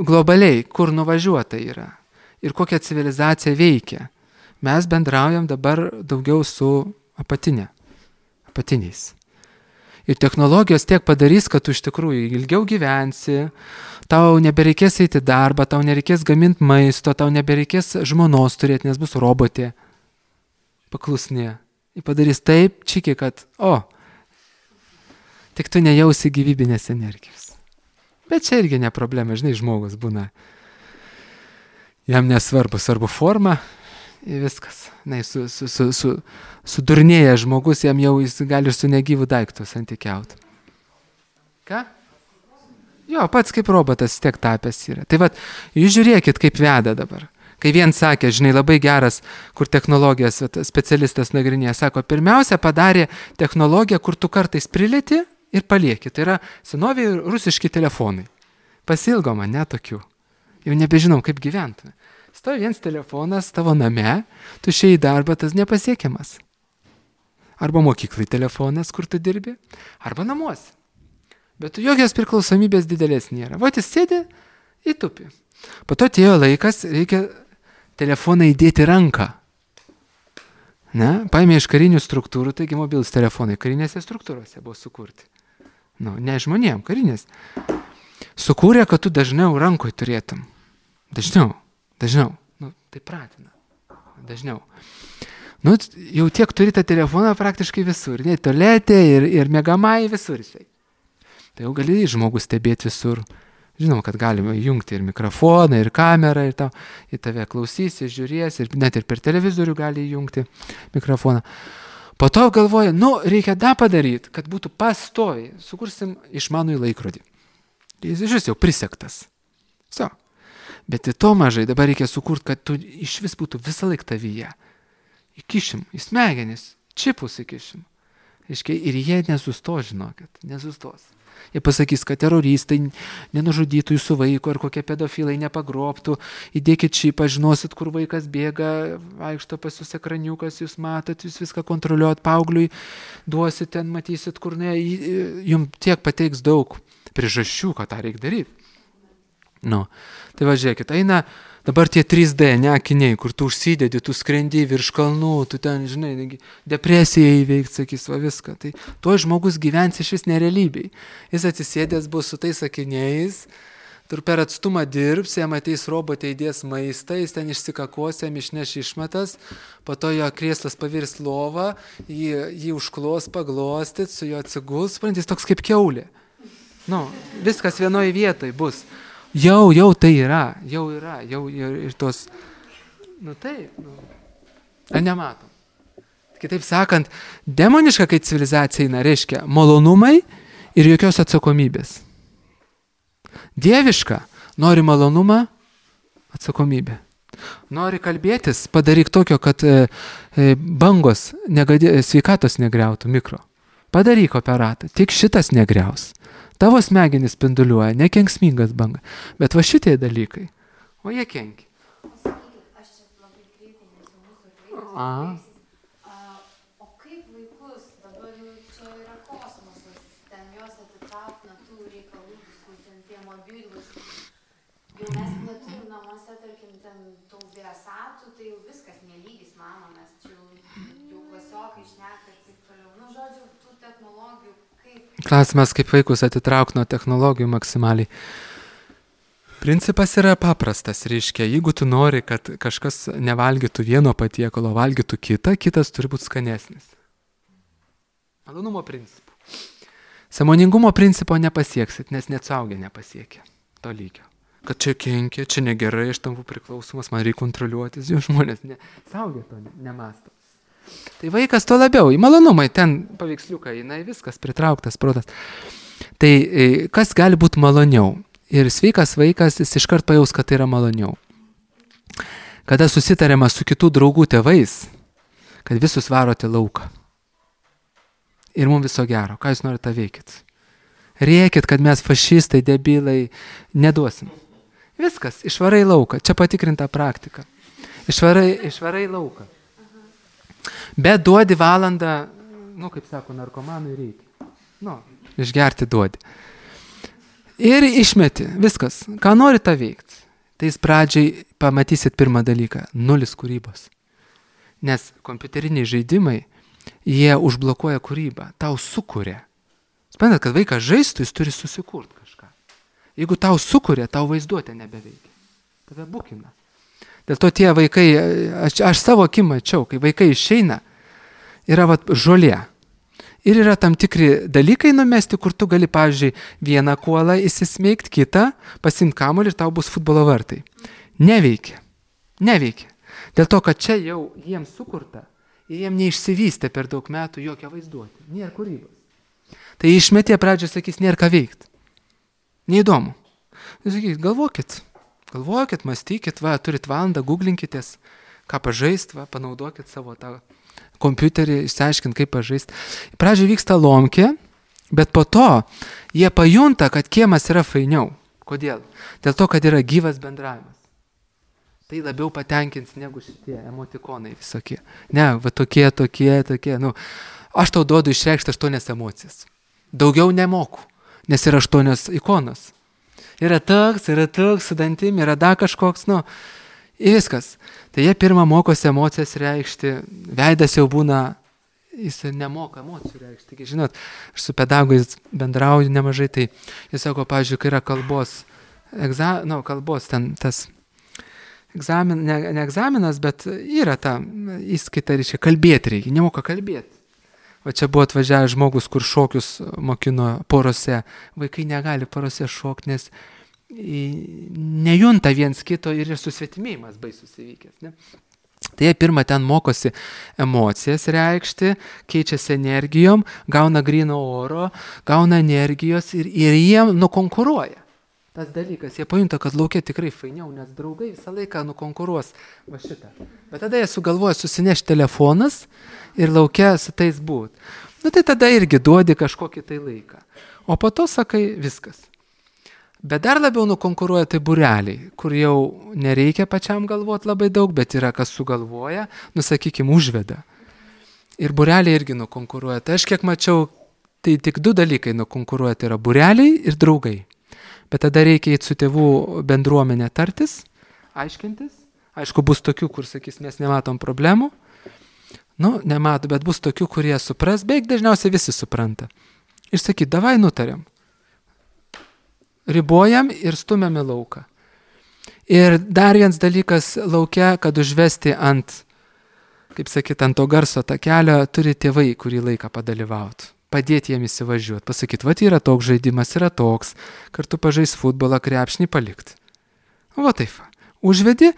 globaliai, kur nuvažiuota yra ir kokia civilizacija veikia. Mes bendraujam dabar daugiau su apatinė, apatiniais. Ir technologijos tiek padarys, kad tu iš tikrųjų ilgiau gyvensi, tau nebereikės eiti darbą, tau nereikės gaminti maisto, tau nebereikės žmonos turėti, nes bus robotė paklusnė. Ir padarys taip čiki, kad, o, tik tu nejausi gyvybinės energijos. Bet čia irgi ne problema, žinai, žmogus būna. Jam nesvarbu, svarbu forma ir viskas. Na, su, su, su, su, sudurnėja žmogus, jam jau jis gali su negyvų daiktų santykiauti. Ką? Jo, pats kaip robotas tiek tapęs yra. Tai vat, jūs žiūrėkit, kaip veda dabar. Kai vien sakė, žinai, labai geras, kur technologijas vat, specialistas nagrinėja, sako, pirmiausia padarė technologiją, kur tu kartais prilėti ir palieki. Tai yra senoviai rusiški telefonai. Pasilgo man, ne tokių. Jau nebežinom, kaip gyventume. Stovi viens telefonas tavo name, tu išėjai į darbą, tas nepasiekiamas. Arba mokyklai telefonas, kur tu dirbi, arba namuose. Bet jokios priklausomybės didelės nėra. Vot jis sėdi į tupį. Po to atėjo laikas, reikia telefoną įdėti ranką. Ne? Paėmė iš karinių struktūrų, taigi mobilus telefonai karinėse struktūrose buvo sukurti. Nu, ne žmonėm, karinės. Sukūrė, kad tu dažniau rankoj turėtum. Dažniau, dažniau. Nu, tai pratina. Dažniau. Nu, jau tiek turi tą telefoną praktiškai visur. Ne, tualetė ir, ir miegamai visur jisai. Tai jau gali žmogus stebėti visur. Žinoma, kad galima įjungti ir mikrofoną, ir kamerą, ir tau, į tave klausys, ir žiūrės, ir net ir per televizorių gali įjungti mikrofoną. Po to galvoja, nu, reikia dar padaryti, kad būtų pastoviai. Sukursim išmanųjį laikrodį. Jis iš vis jau prisektas. So. Bet į to mažai dabar reikia sukurti, kad tu iš vis būtų visą laiką tavyje. Įkišim, į smegenis, čipus įkišim. Iškai, ir jie nesustos, žinokit, nesustos. Jie pasakys, kad teroristai nenužudytų jūsų vaiko, ar kokie pedofilai nepagroptų. Įdėkit čipą, žinosit, kur vaikas bėga, vaikšto pas jūs ekraniukas, jūs matot, jūs viską kontroliuot, paaugliui duosit ten, matysit, kur ne, jums tiek pateiks daug priežasčių, ką tą reikia daryti. Nu, tai va, žiūrėkit, eina dabar tie trys D, ne akiniai, kur tu užsidedi, tu skrendi virš kalnų, tu ten, žinai, depresiją įveikti, sakys, va viską. Tai tuo žmogus gyvens iš vis nerealybei. Jis atsisėdęs bus su tais akiniais, tur per atstumą dirbs, jam ateis robotė įdės maistą, jis ten išsikakos, jam išneš išmetas, po to jo krėslas pavirs lovą, jį, jį užklos, paglostyt, su jo atsiguls, suprantat, jis toks kaip kiaulė. Nu, viskas vienoje vietoje bus. Jau, jau tai yra, jau yra, jau ir tos, nu taip, nu, ar nematom. Kitaip sakant, demoniška, kai civilizacija eina, reiškia malonumai ir jokios atsakomybės. Dieviška, nori malonumą, atsakomybė. Nori kalbėtis, padaryk tokio, kad e, e, bangos negadė, sveikatos negriautų mikro. Padaryk operatą, tik šitas negriaus. Tavo smegenis spinduliuoja, nekenksmingas banga. Bet va šitie dalykai, o jie kenkia. O sakykit, aš čia labai greitai, nes mūsų vaikas baigsis. O kaip vaikus, dabar jau čia yra kosmosas, ten jos atitrauk nuo tų reikalų, visų ten tie mobilus. Jau mes neturim namuose, tarkim, ten tų vėsatų, tai jau viskas nelygis, mama, mes čia jau, jau klasiokai šneka ir taip toliau. Nu, žodžiu, tų technologijų. Klausimas, kaip vaikus atitraukti nuo technologijų maksimaliai. Principas yra paprastas, reiškia, jeigu tu nori, kad kažkas nevalgytų vieno patiekalo, valgytų kitą, kitas turi būti skanesnis. Malonumo principų. Sąmoningumo principo nepasieksit, nes net suaugę nepasiekia to lygio. Kad čia kenkia, čia negerai, aš tampu priklausomas, man reikia kontroliuotis, jau žmonės ne, suaugę to nemasto. Tai vaikas to labiau, į malonumai, ten paveiksliukai, jinai viskas pritrauktas protas. Tai kas gali būti maloniau? Ir sveikas vaikas, jis iškart pajaus, kad tai yra maloniau. Kada susitariama su kitų draugų tėvais, kad visus varote lauką. Ir mums viso gero, ką jūs norite veikit? Rėkit, kad mes fašistai, debilai, neduosim. Viskas, išvarai lauką, čia patikrinta praktika. Išvarai, išvarai lauką. Bet duodi valandą, nu, kaip sako, narkomanui reikia. Nu, išgerti duodi. Ir išmeti, viskas. Ką nori tą veikti? Tai jis pradžiai pamatysit pirmą dalyką – nulis kūrybos. Nes kompiuteriniai žaidimai, jie užblokuoja kūrybą, tau sukuria. Suprantat, kad vaikas žaistų, jis turi susikurti kažką. Jeigu tau sukuria, tau vaizduotė nebeveikia. Tave bukina. Dėl to tie vaikai, aš, aš savo akim mačiau, kai vaikai išeina, yra vat, žolė. Ir yra tam tikri dalykai numesti, kur tu gali, pavyzdžiui, vieną kuolą įsismeigti, kitą, pasimti kamuolį ir tau bus futbolo vartai. Neveikia. Neveikia. Dėl to, kad čia jau jiems sukurta ir jiems neišsivystė per daug metų jokia vaizduotė. Nėra kūrybos. Tai išmetė pradžioje sakys, nėra ką veikti. Neįdomu. Sakys, galvokit. Galvokit, mąstykit, va, turit valandą, googlinkitės, ką pažaist, va, panaudokit savo tą kompiuterį, išsiaiškint, kaip pažaist. Pradžioje vyksta lomkė, bet po to jie pajunta, kad kiemas yra fainiau. Kodėl? Dėl to, kad yra gyvas bendravimas. Tai labiau patenkins negu šitie emotikonai visokie. Ne, va tokie, tokie, tokie. Nu, aš tau duodu išreikšti aštuonias emocijas. Daugiau nemoku, nes yra aštuonios ikonos. Yra toks, yra toks, su dantim, yra dar kažkoks, nu, ir viskas. Tai jie pirmą mokosi emocijas reikšti, veidas jau būna, jis nemoka emocijų reikšti. Taigi, žinot, aš su pedagogais bendrauju nemažai, tai jis sako, pavyzdžiui, kai yra kalbos, egza, nu, kalbos ten tas egzamin, ne, ne egzaminas, bet yra ta įskaita, reiškia, kalbėti reikia, nemoka kalbėti. Va čia buvo atvažiavęs žmogus, kur šokius mokino porose. Vaikai negali porose šokti, nes nejunta viens kito ir susvetimėjimas baisus įvykęs. Ne? Tai jie pirmą ten mokosi emocijas reikšti, keičiasi energijom, gauna gryno oro, gauna energijos ir, ir jie nukonkuruoja. Tas dalykas, jie pajunta, kad laukia tikrai fainiau, nes draugai visą laiką nukonkuruos va šitą. Bet tada jie sugalvoja susinešti telefonas ir laukia su tais būt. Nu tai tada irgi duodi kažkokį tai laiką. O po to sakai viskas. Bet dar labiau nukonkuruoja tai būreliai, kur jau nereikia pačiam galvoti labai daug, bet yra kas sugalvoja, nu sakykim, užveda. Ir būreliai irgi nukonkuruoja. Tai aš kiek mačiau, tai tik du dalykai nukonkuruoja, tai yra būreliai ir draugai. Bet tada reikia eiti su tėvų bendruomenė tartis, aiškintis. Aišku, bus tokių, kur sakys, mes nematom problemų. Nu, nemato, bet bus tokių, kurie supras, beveik dažniausiai visi supranta. Ir sakyt, davai nutariam. Ribojam ir stumiam į lauką. Ir dar vienas dalykas laukia, kad užvesti ant, kaip sakyt, ant to garso takelio, turi tėvai kurį laiką padalyvauti. Padėti jiem įsivažiuoti, pasakyti, va, yra toks žaidimas, yra toks, kartu pažais futbolą, krepšnį palikti. Va taip, užvedi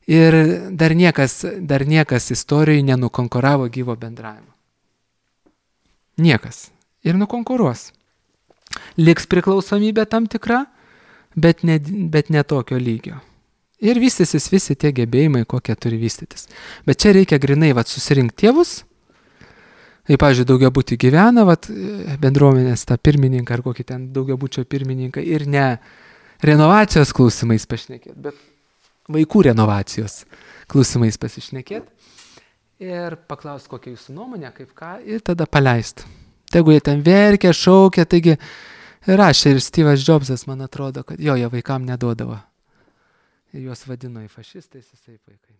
ir dar niekas, dar niekas istorijai nenukonkuravo gyvo bendravimo. Niekas. Ir nukonkuruos. Liks priklausomybė tam tikra, bet ne, bet ne tokio lygio. Ir vystysis visi tie gebėjimai, kokie turi vystytis. Bet čia reikia grinai vat, susirinkti tėvus. Tai, pavyzdžiui, daugiabutį gyvena, vat, bendruomenės tą pirmininką ar kokį ten daugiabučio pirmininką ir ne renovacijos klausimais pašnekėt, bet vaikų renovacijos klausimais pasišnekėt ir paklaust, kokia jūsų nuomonė, kaip ką, ir tada paleist. Tegu jie ten verkia, šaukia, taigi rašė ir Steve'as Jobsas, man atrodo, kad jo, jie vaikam neduodavo. Ir juos vadino į fašistais, visai vaikai.